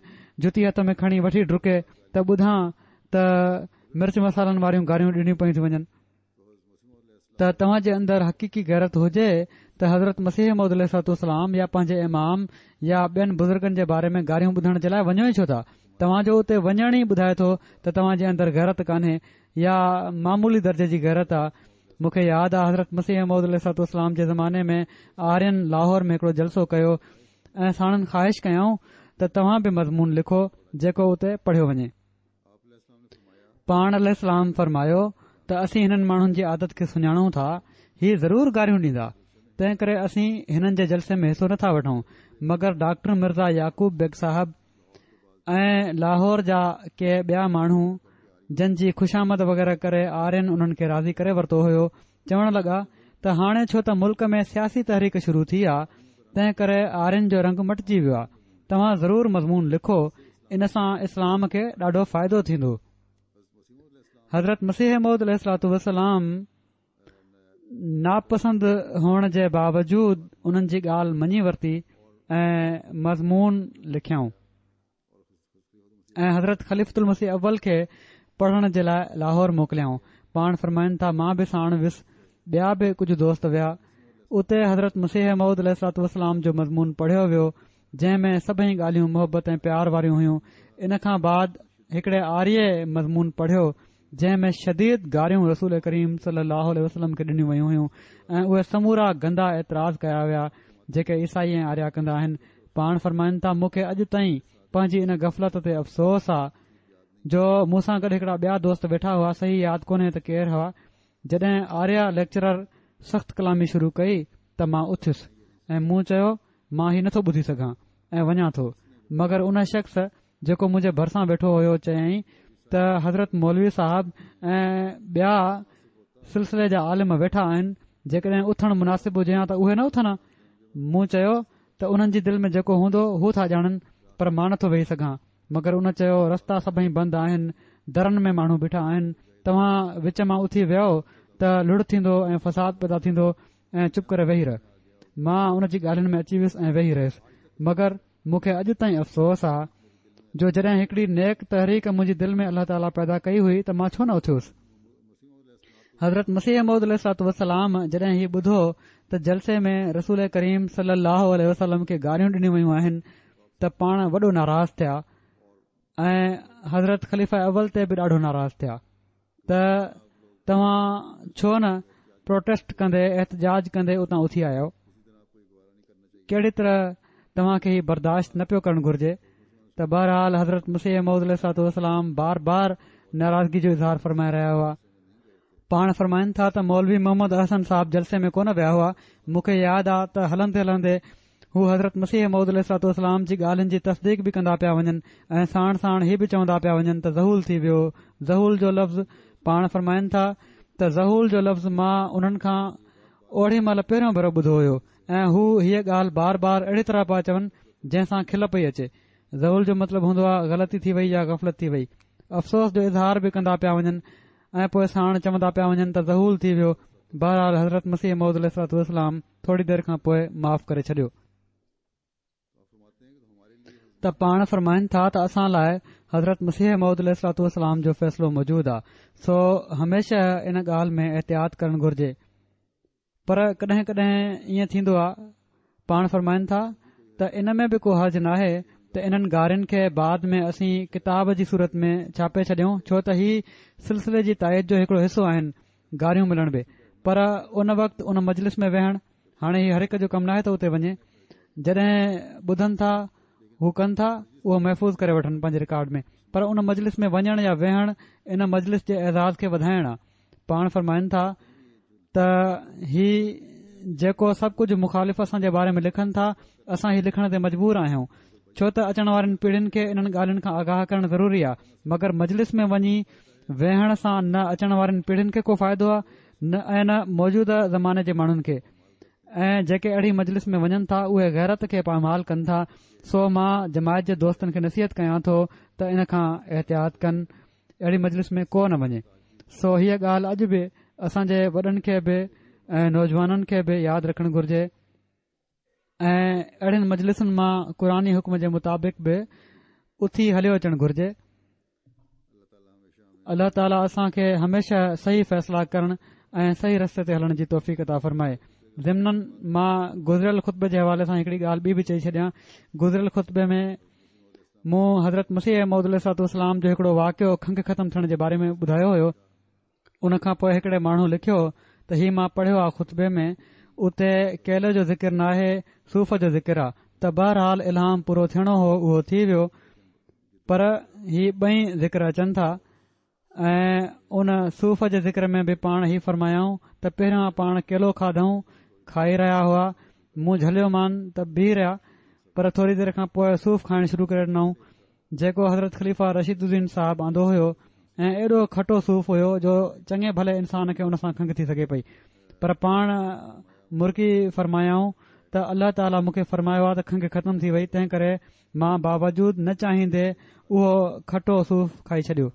جتي هٿ ۾ کڻي وٺي ڊڪي ته ٻڌان ته مرچ مصالحن واريون گاريون ڏنيون پيون ٿيون وڃن. ته توهان جي اندر حقيقي غيرت هجي ته حضرت مسيح موعود عليه الصلوة والسلام يا پنهنجي امام يا ٻين بزرگن جي باري ۾ گاريون ٻڌڻ جي لاء وڃو ئي ڇو ٿا؟ توهان جو اتي وڃڻ ئي ٻڌائي ٿو ته توهان جي اندر غيرت ڪانهي يا معمولي درجي جي غيرت آ. مون کي ياد آ حضرت مسيح موعود عليه الصلوة والسلام جي زماني ۾ آرين لاهور ۾ هڪڙو جلسو ڪيو ۽ ساڻن خواهش ڪيائون ته توهان به مضمون لکو جيڪو اتي پڙهيو وڃي. پاڻ عليه السلام فرمايو ته اسين هنن ماڻهن جي عادت کي سڃاڻون ٿا، هي ضرور گاريون ڏيندا، تنهن ڪري اسين هنن جي جلسي ۾ حصو نٿا وٺون. مگر ڊاڪٽر مرزا يعقوب بيگ صاحب ۽ لاهور جا ڪي ٻيا ماڻهو جن جي خوشامد وغيره ڪري آرين انهن کي راضي ڪري ورتو هيو، چوڻ لڳا ته هاڻي ڇو ته ملڪ ۾ سياسي تحريڪ شروع ٿي آ، تنهن ڪري آرين جو رنگ مٽجي ويو آ، توهان ضرور مضمون لکو، ان سان اسلام کي ڏاڍو فائدو ٿيندو. حضرت مسيح موعود عليه الصلوة والسلام ناپسند هئڻ جي باوجود انهن جي ڳالهه مڃي ورتي ۽ مضمون لکيائون ۽ حضرت خليفة المسيح اول کي پڙهڻ جي لاء لاهور موڪليائون. پاڻ فرمائن ٿا، مان به ساڻ ويس، ٻيا به ڪجهه دوست ويا. اتي حضرت مسيح موعود عليه الصلوة والسلام جو مضمون پڙهيو ويو، جنهن ۾ سڀئي ڳالهيون محبت ۽ پيار واريون هيون. ان کان بعد هڪڙي آريه مضمون پڙهيو، جنهن ۾ شديد گاريون رسول ڪريم صلي الله عليه وسلم کي ڏنيون ويون هيون ۽ اهي سمورا گندا اعتراض ڪيا ويا جيڪي عيسائي ۽ آريا ڪندا آهن. پاڻ فرمائن ٿا، مون کي اڄ تائين پنهنجي ان غفلت تي افسوس آ جو مون سان گڏ هڪڙا ٻيا دوست ويٺا هئا، صحيح ياد ڪونهي ته ڪير هئا، جڏهن آريا ليڪچرر سخت ڪلامي شروع ڪئي ته مان اٿيس ۽ مون چيو مان هي نٿو ٻڌي سگهان ۽ وڃان ٿو، مگر ان شخص جيڪو منهنجي ڀرسان ويٺو هيو چيائين ته حضرت مولوي صاحب ۽ ٻيا سلسلي جا عالم ويٺا آهن، جيڪڏهن اٿڻ مناسب هجي ها ته اهي نه اٿن ها. مون چيو ته انهن جي دل ۾ جيڪو هوندو هو ٿا ڄاڻن، پر مان نٿو ويهي سگهان. مگر ان چيو رستا سڀئي بند آهن، درن ۾ ماڻهو بيٺا آهن، توهان وچ مان اٿي ويو ته لڙ ٿيندو ۽ فساد پيدا ٿيندو ۽ چپ ڪري ويهي رهه. مان ان جي ڳالهين ۾ اچي ويس ۽ ويهي رهيس. مگر مون کي اڄ تائين افسوس آ جو جڏهن هڪڙي نيڪ تحريڪ منهنجي دل ۾ الله تعاليٰ پيدا ڪئي هئي ته مان ڇو نه اٿيس. حضرت مسيح موعود عليه الصلوة والسلام جڏهن هي ٻڌو ته جلسي ۾ رسول ڪريم صلي الله عليه وسلم کي گاريون ڏنيون ويون آهن ته پاڻ وڏو ناراض ٿيا ۽ حضرت خليفه اول تي به ڏاڍو ناراض ٿيا ته توهان ڇو نه پروٽيسٽ ڪندي احتجاج ڪندي اتان اٿي آيو، ڪهڙي طرح توهان کي هي برداشت نه پيو ڪرڻ گهرجي. ته بهرحال حضرت مسيح موعود عليه الصلوة والسلام بار بار ناراضگي جو اظهار فرمائي رهيا هئا. پاڻ فرمائن ٿا ته مولوي محمد احسن صاحب جلسي ۾ ڪونه ويا هئا، مون کي ياد آ ته هلندي هلندي هو حضرت مسيح موعود عليه الصلوة والسلام جي ڳالهين جي تصديق به ڪندا پيا وڃن ۽ ساڻ ساڻ هي به چوندا پيا وڃن ته ذهول ٿي ويو. ذهول جو لفظ پاڻ فرمائن ٿا ته ذهول جو لفظ مان انهن کان اوڙي مهل پهريون ڀيرو ٻڌو هيو ۽ هو هيء ڳالهه بار بار اهڙي طرح پيا چون جنهن سان کل پئي اچي. ذهول جو مطلب هوندو آهي غلطي ٿي وئي يا غفلت ٿي وئي. افسوس جو اظهار به ڪندا پيا وڃن ۽ پوء ساڻ چوندا پيا وڃن ته ذهول ٿي ويو. بهرحال حضرت مسيح موعود عليه الصلوة والسلام ٿوري دير کان پوء معاف ڪري ڇڏيو. ته پاڻ فرمائن ٿا ته اسان لاء حضرت مسيح موعود عليه الصلوة والسلام جو فيصلو موجود آ، سو هميشه ان ڳالهه ۾ احتياط ڪرڻ گهرجي. پر ڪڏهن ڪڏهن ائين ٿيندو آ، پاڻ فرمائن ٿا ته ان ۾ به ڪو حرج ناهي ته انهن گارين کي بعد ۾ اسين ڪتاب جي صورت ۾ ڇاپي ڇڏيون، ڇو ته هي سلسلي جي تائيد جو هڪڙو حصو آهن گاريون ملڻ به. پر ان وقت ان مجلس ۾ ويهڻ، هاڻي هي هر هڪ جو ڪم ناهي ته اتي وڃي، جڏهن ٻڌن ٿا هو ڪن ٿا اهو محفوظ ڪري وٺن پنهنجي رڪارڊ ۾، پر ان مجلس ۾ وڃڻ يا ويهڻ ان مجلس جي اعزاز کي وڌائڻ آ. پاڻ فرمائن ٿا ته هي جيڪو سڀ ڪجهه مخالف اسان جي باري ۾ لکن ٿا، اسان هي لکڻ تي مجبور آهيون، ڇو ته اچڻ وارين پيڙهين کي انهن ڳالهين کان آگاهه ڪرڻ ضروري آ. مگر مجلس ۾ وڃي ويهڻ سان نه اچڻ وارين پيڙهين کي ڪو فائدو آ نه ۽ نه موجوده زماني جي ماڻهن کي، ۽ جيڪي اهڙي مجلس ۾ وڃن ٿا اهي غيرت کي پائمال ڪن ٿا. سو مان جماعت جي دوستن کي نصيحت ڪيان ٿو ته ان کان احتياط ڪن، اهڙي مجلس ۾ ڪو نه وڃي. سو هيء ڳالهه اڄ به اسان جي وڏن کي به ۽ نوجوانن کي به ياد رکڻ گهرجي، ۽ اهڙين مجلسن مان قرآني حڪم جي مطابق به اٿي هليو اچڻ گهرجي. الله تعاليٰ اسان کي هميشه صحيح فيصلا ڪرڻ ۽ صحيح رستي تي هلڻ جي توفيق عطا فرمائي. ضمناً مان گذريل خطبي جي حوالي سان هڪڙي ڳالهه ٻي به چئي ڇڏيان. گذريل خطبي ۾ مون حضرت مسيح موعود عليه الصلوة والسلام جو هڪڙو واقعو کنگهه ختم ٿيڻ جي باري ۾ ٻڌايو هيو. ان کان پوء هڪڙي ماڻهو لکيو ته هي مان پڙهيو آ خطبي ۾ اتي ڪيلي جو ذڪر ناهي، صوف جو ذڪر آ. ته بهرحال الهام پورو ٿيڻو هو اهو ٿي ويو، پر هي ٻئي ذڪر اچن ٿا. ۽ ان صوف جي ذڪر ۾ به پاڻ هي فرمايائون ته پهريان پاڻ ڪيلو کاڌائون، کائي رهيا هئا، مون جهليو مان ته بيهي رهيا، پر ٿوري دير کان پوء صوف کائڻ شروع ڪري ڏنائون، جيڪو حضرت خليفه رشيد الدين صاحب آندو هيو، ۽ ايڏو کٽو صوف هيو جو چڱي ڀلي انسان کي ان سان کنگهه ٿي سگهي پئي. پر پاڻ مرڪي فرمايائون ته الله تعاليٰ مون کي فرمايو آهي ته کنگهه ختم ٿي وئي، تنهن ڪري مان باوجود نه چاهيندي اهو کٽو صوف کائي ڇڏيو.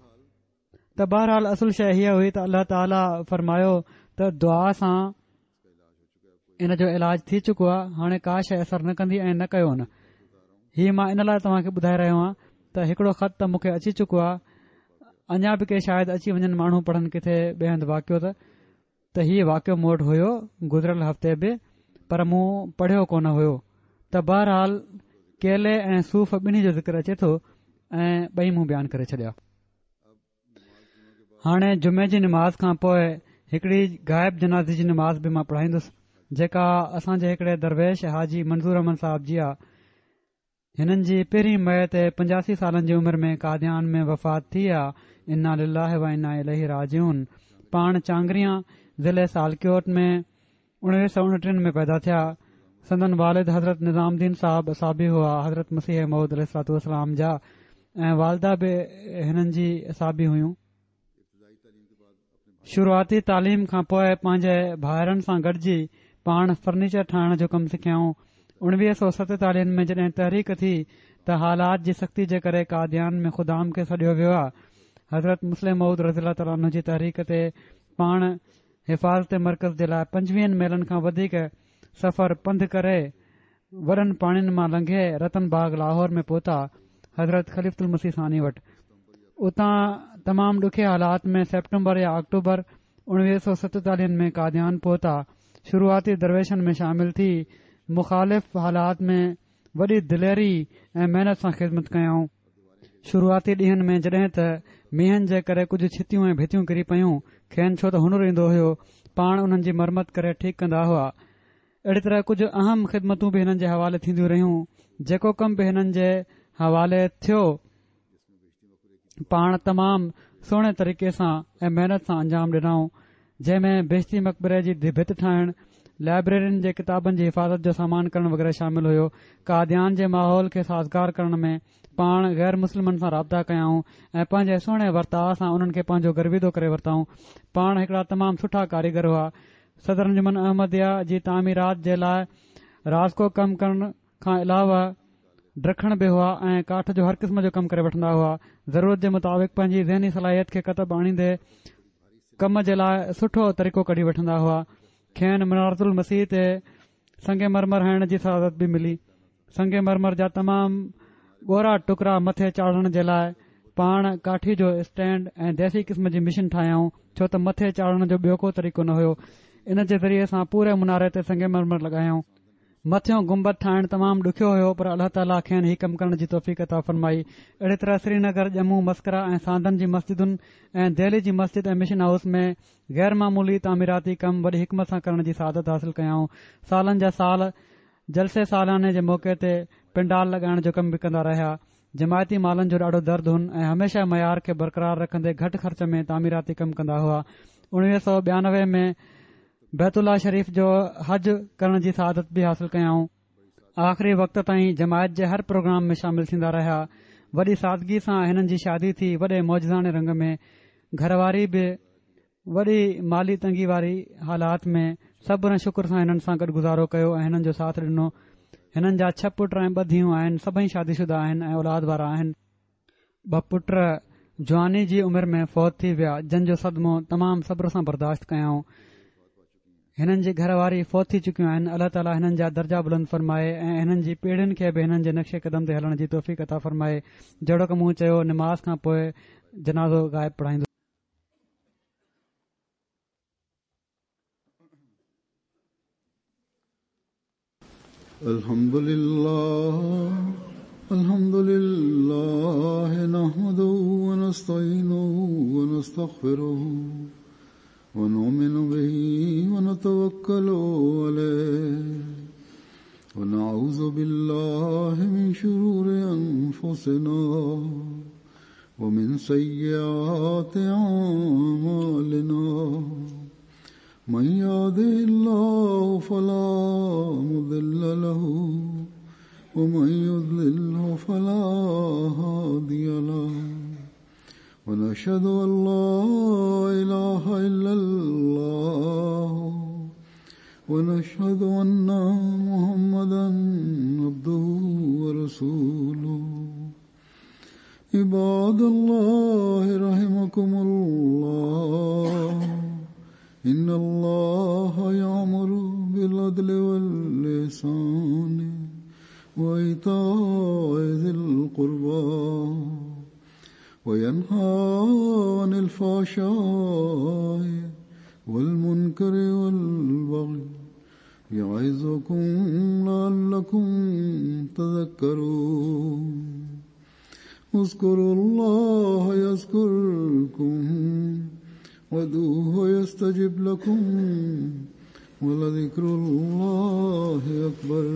ته بهرحال اصل شيء هيء هئي ته الله تعاليٰ فرمايو ته دعا سان ان جو علاج ٿي چڪو آهي، هاڻي ڪا شيء اثر نه ڪندي ۽ نه ڪيو نه. هي مان ان لاء توهان کي ٻڌائي رهيو آهيان ته هڪڙو خط ته مون کي اچي چڪو آهي، اڃا به ڪي شايد اچي وڃن ماڻهو پڙهن ڪٿي ٻئي هنڌ واقعو ته ته هي واقعو مون وٽ هيو گذريل هفتي به، پر مون پڙهيو ڪونه هيو. ته بهرحال ڪيلي ۽ صوف ٻنهي جو ذڪر اچي ٿو ۽ ٻئي مون بيان ڪري ڇڏيا. هاڻي جمعي جي نماز کان پوء هڪڙي غائب جنازي جي نماز به مان پڙهائيندس، جيڪا اسان جي هڪڙي درويش حاجي منظور احمد صاحب جي آ. هنن جي پهرين مئي تي پنجاسي سالن جي عمر ۾ قاديان ۾ وفات ٿي آ. انا لله و انا اليه راجعون. پاڻ چانگريان ضلعي سالڪيوٽ ۾ اڻويهه سؤ اڻٽيهن ۾ پيدا ٿيا. سندن والد حضرت نظام الدين صاحب اصحابي هئا حضرت مسيح موعود عليه الصلوة والسلام جا، ۽ والده به هنن جي اصحابي هيون. شروعاتي تعليم کان پوء پنهنجي ڀائرن سان گڏجي پاڻ فرنيچر ٺاهڻ جو ڪم سکيائون. اڻويهه سؤ ستيتاليهن ۾ جڏهن تحريڪ ٿي ته حالات جي سختي جي ڪري قاديان ۾ خدام کي سڏيو ويو آ. حضرت مصلح موعود رضي الله تعالٰي عنه جي تحريڪ تي پاڻ حفاظت مرڪز جي لاء پنجويهن ميلن کان وڌيڪ سفر پنڌ ڪري وڏن پاڻين مان لنگهي رتن باغ لاهور ۾ پهتا حضرت خليفة المسيح ثاني وٽ. اتان تمام ڏکي حالات ۾ سيپٽمبر يا آڪٽوبر اڻويهه سؤ ستيتاليهن ۾ قاديان پهتا. شروعاتي درويشن ۾ شامل ٿي مخالف حالات ۾ وڏي دليري ۽ محنت سان خدمت ڪيائون. شروعاتي ڏينهن ۾ جڏهن ته مينهن جي ڪري ڪجهه ڇتيون ۽ ڀتيون ڪري پيون، کين ڇو ته هنر ايندو هيو، پاڻ انهن جي مرمت ڪري ٺيڪ ڪندا هئا. اهڙي طرح ڪجهه اهم خدمتون به هنن جي حوالي ٿينديون رهيون. جيڪو ڪم به هنن جي حوالي ٿيو، پاڻ تمام سهڻي طريقي سان ۽ محنت سان انجام ڏنائون، جنهن ۾ بهشتي مقبري جي ڀت ٺاهڻ، لائبريرين جي ڪتابن جي حفاظت جو سامان ڪرڻ وغيره شامل هيو. قاديان جي ماحول کي سازگار ڪرڻ ۾ پاڻ غير مسلمن سان رابطا ڪيائون ۽ پنهنجي سهڻي ورتاء سان انهن کي پنهنجو گرويدو ڪري ورتائون. پاڻ هڪڙا تمام سٺا ڪاريگر هئا. صدر انجمن احمديه جي تعميرات جي لاء رازڪو ڪم ڪرڻ کان علاوه ڊکڻ به هئا ۽ ڪاٺ جو هر قسم جو ڪم ڪري وٺندا هئا. ضرورت جي مطابق پنهنجي ذهني صلاحيت کي ڪتب آڻيندي ڪم جي لاء سٺو طريقو ڪڍي وٺندا هئا. کين منارة المسيح تي سنگ مرمر هڻڻ جي سعادت به ملي. سنگ مرمر جا تمام ڳورا ٽڪرا مٿي چاڙهڻ جي لاءِ پاڻ ڪاٺي جو اسٽينڊ ۽ ديسي قسم جي مشين ٺاهيائون، ڇو ته مٿي چاڙهڻ جو ٻيو ڪو طريقو نه هيو. ان جي ذريعي سان پوري مناري تي سنگ مرمر لڳايائون. مٿيون گنبد ٺاهڻ تمام ڏکيو هيو، پر الله تعاليٰ کين هي ڪم ڪرڻ جي توفيق عطا فرمائي. اهڙي طرح سرينگر، ڄمون، مسڪرا ۽ ساندن جي مسجدن ۽ دهلي جي مسجد ۽ مشن هائوس ۾ غير معمولي تعميراتي ڪم وڏي حڪمت سان ڪرڻ جي سعادت حاصل ڪيائون. سالن جا سال جلسي سالاني جي موقعي تي پنڊال لڳائڻ جو ڪم به ڪندا رهيا. جماعتي مالن جو ڏاڍو درد هن ۽ هميشه معيار کي برقرار رکندي گهٽ خرچ ۾ تعميراتي ڪم ڪندا هئا. اڻويهه سؤ ٻيانوي ۾ بيت الله شريف جو حج ڪرڻ جي سعادت به حاصل ڪيائون. آخري وقت تائين جماعت جي هر پروگرام ۾ شامل ٿيندا رهيا. وڏي سادگي سان هنن جي شادي ٿي، وڏي معجزاڻي رنگ ۾. گهر واري به وڏي مالي تنگي واري حالات ۾ صبر ۽ شڪر سان هنن سان گڏ گذارو ڪيو ۽ هنن جو ساٿ ڏنو. هنن جا ڇهه پٽ ۽ ٻه ڌيئون آهن. سڀئي شادي شده آهن ۽ اولاد وارا آهن. ٻه پٽ جواني جي عمر ۾ فوت ٿي ويا، جن جو صدمو تمام صبر سان برداشت ڪيائون. هنن جي گهر واري فوت ٿي چڪيون آهن. الله تعاليٰ هنن جا درجا بلند فرمائي ۽ هنن جي پيڙهين کي به هنن جي نقش قدم تي هلڻ جي توفيق عطا فرمائي. جهڙوڪ مون چيو، نماز کان پوءِ جنازو غائب پڙهائيندو. الحمد لله الحمد لله نحمده ونستعينه ونستغفره ونؤمن به ونتوكل عليه ونعوذ بالله من شرور أنفسنا ومن سيئات أعمالنا من يهده الله فلا مضل له ومن يضلله فلا هادي له ونشهد أن لا إله إلا الله ونشهد أن محمدا عبده ورسوله. عباد الله رحمكم الله، إن الله يأمر بالعدل والإحسان وإيتاء ذي القربى وينهى عن الفحشاء والمنكر والبغي يعظكم لعلكم تذكرون. اذكروا الله يذكركم وادعوه يستجب لكم ولذكر الله أكبر.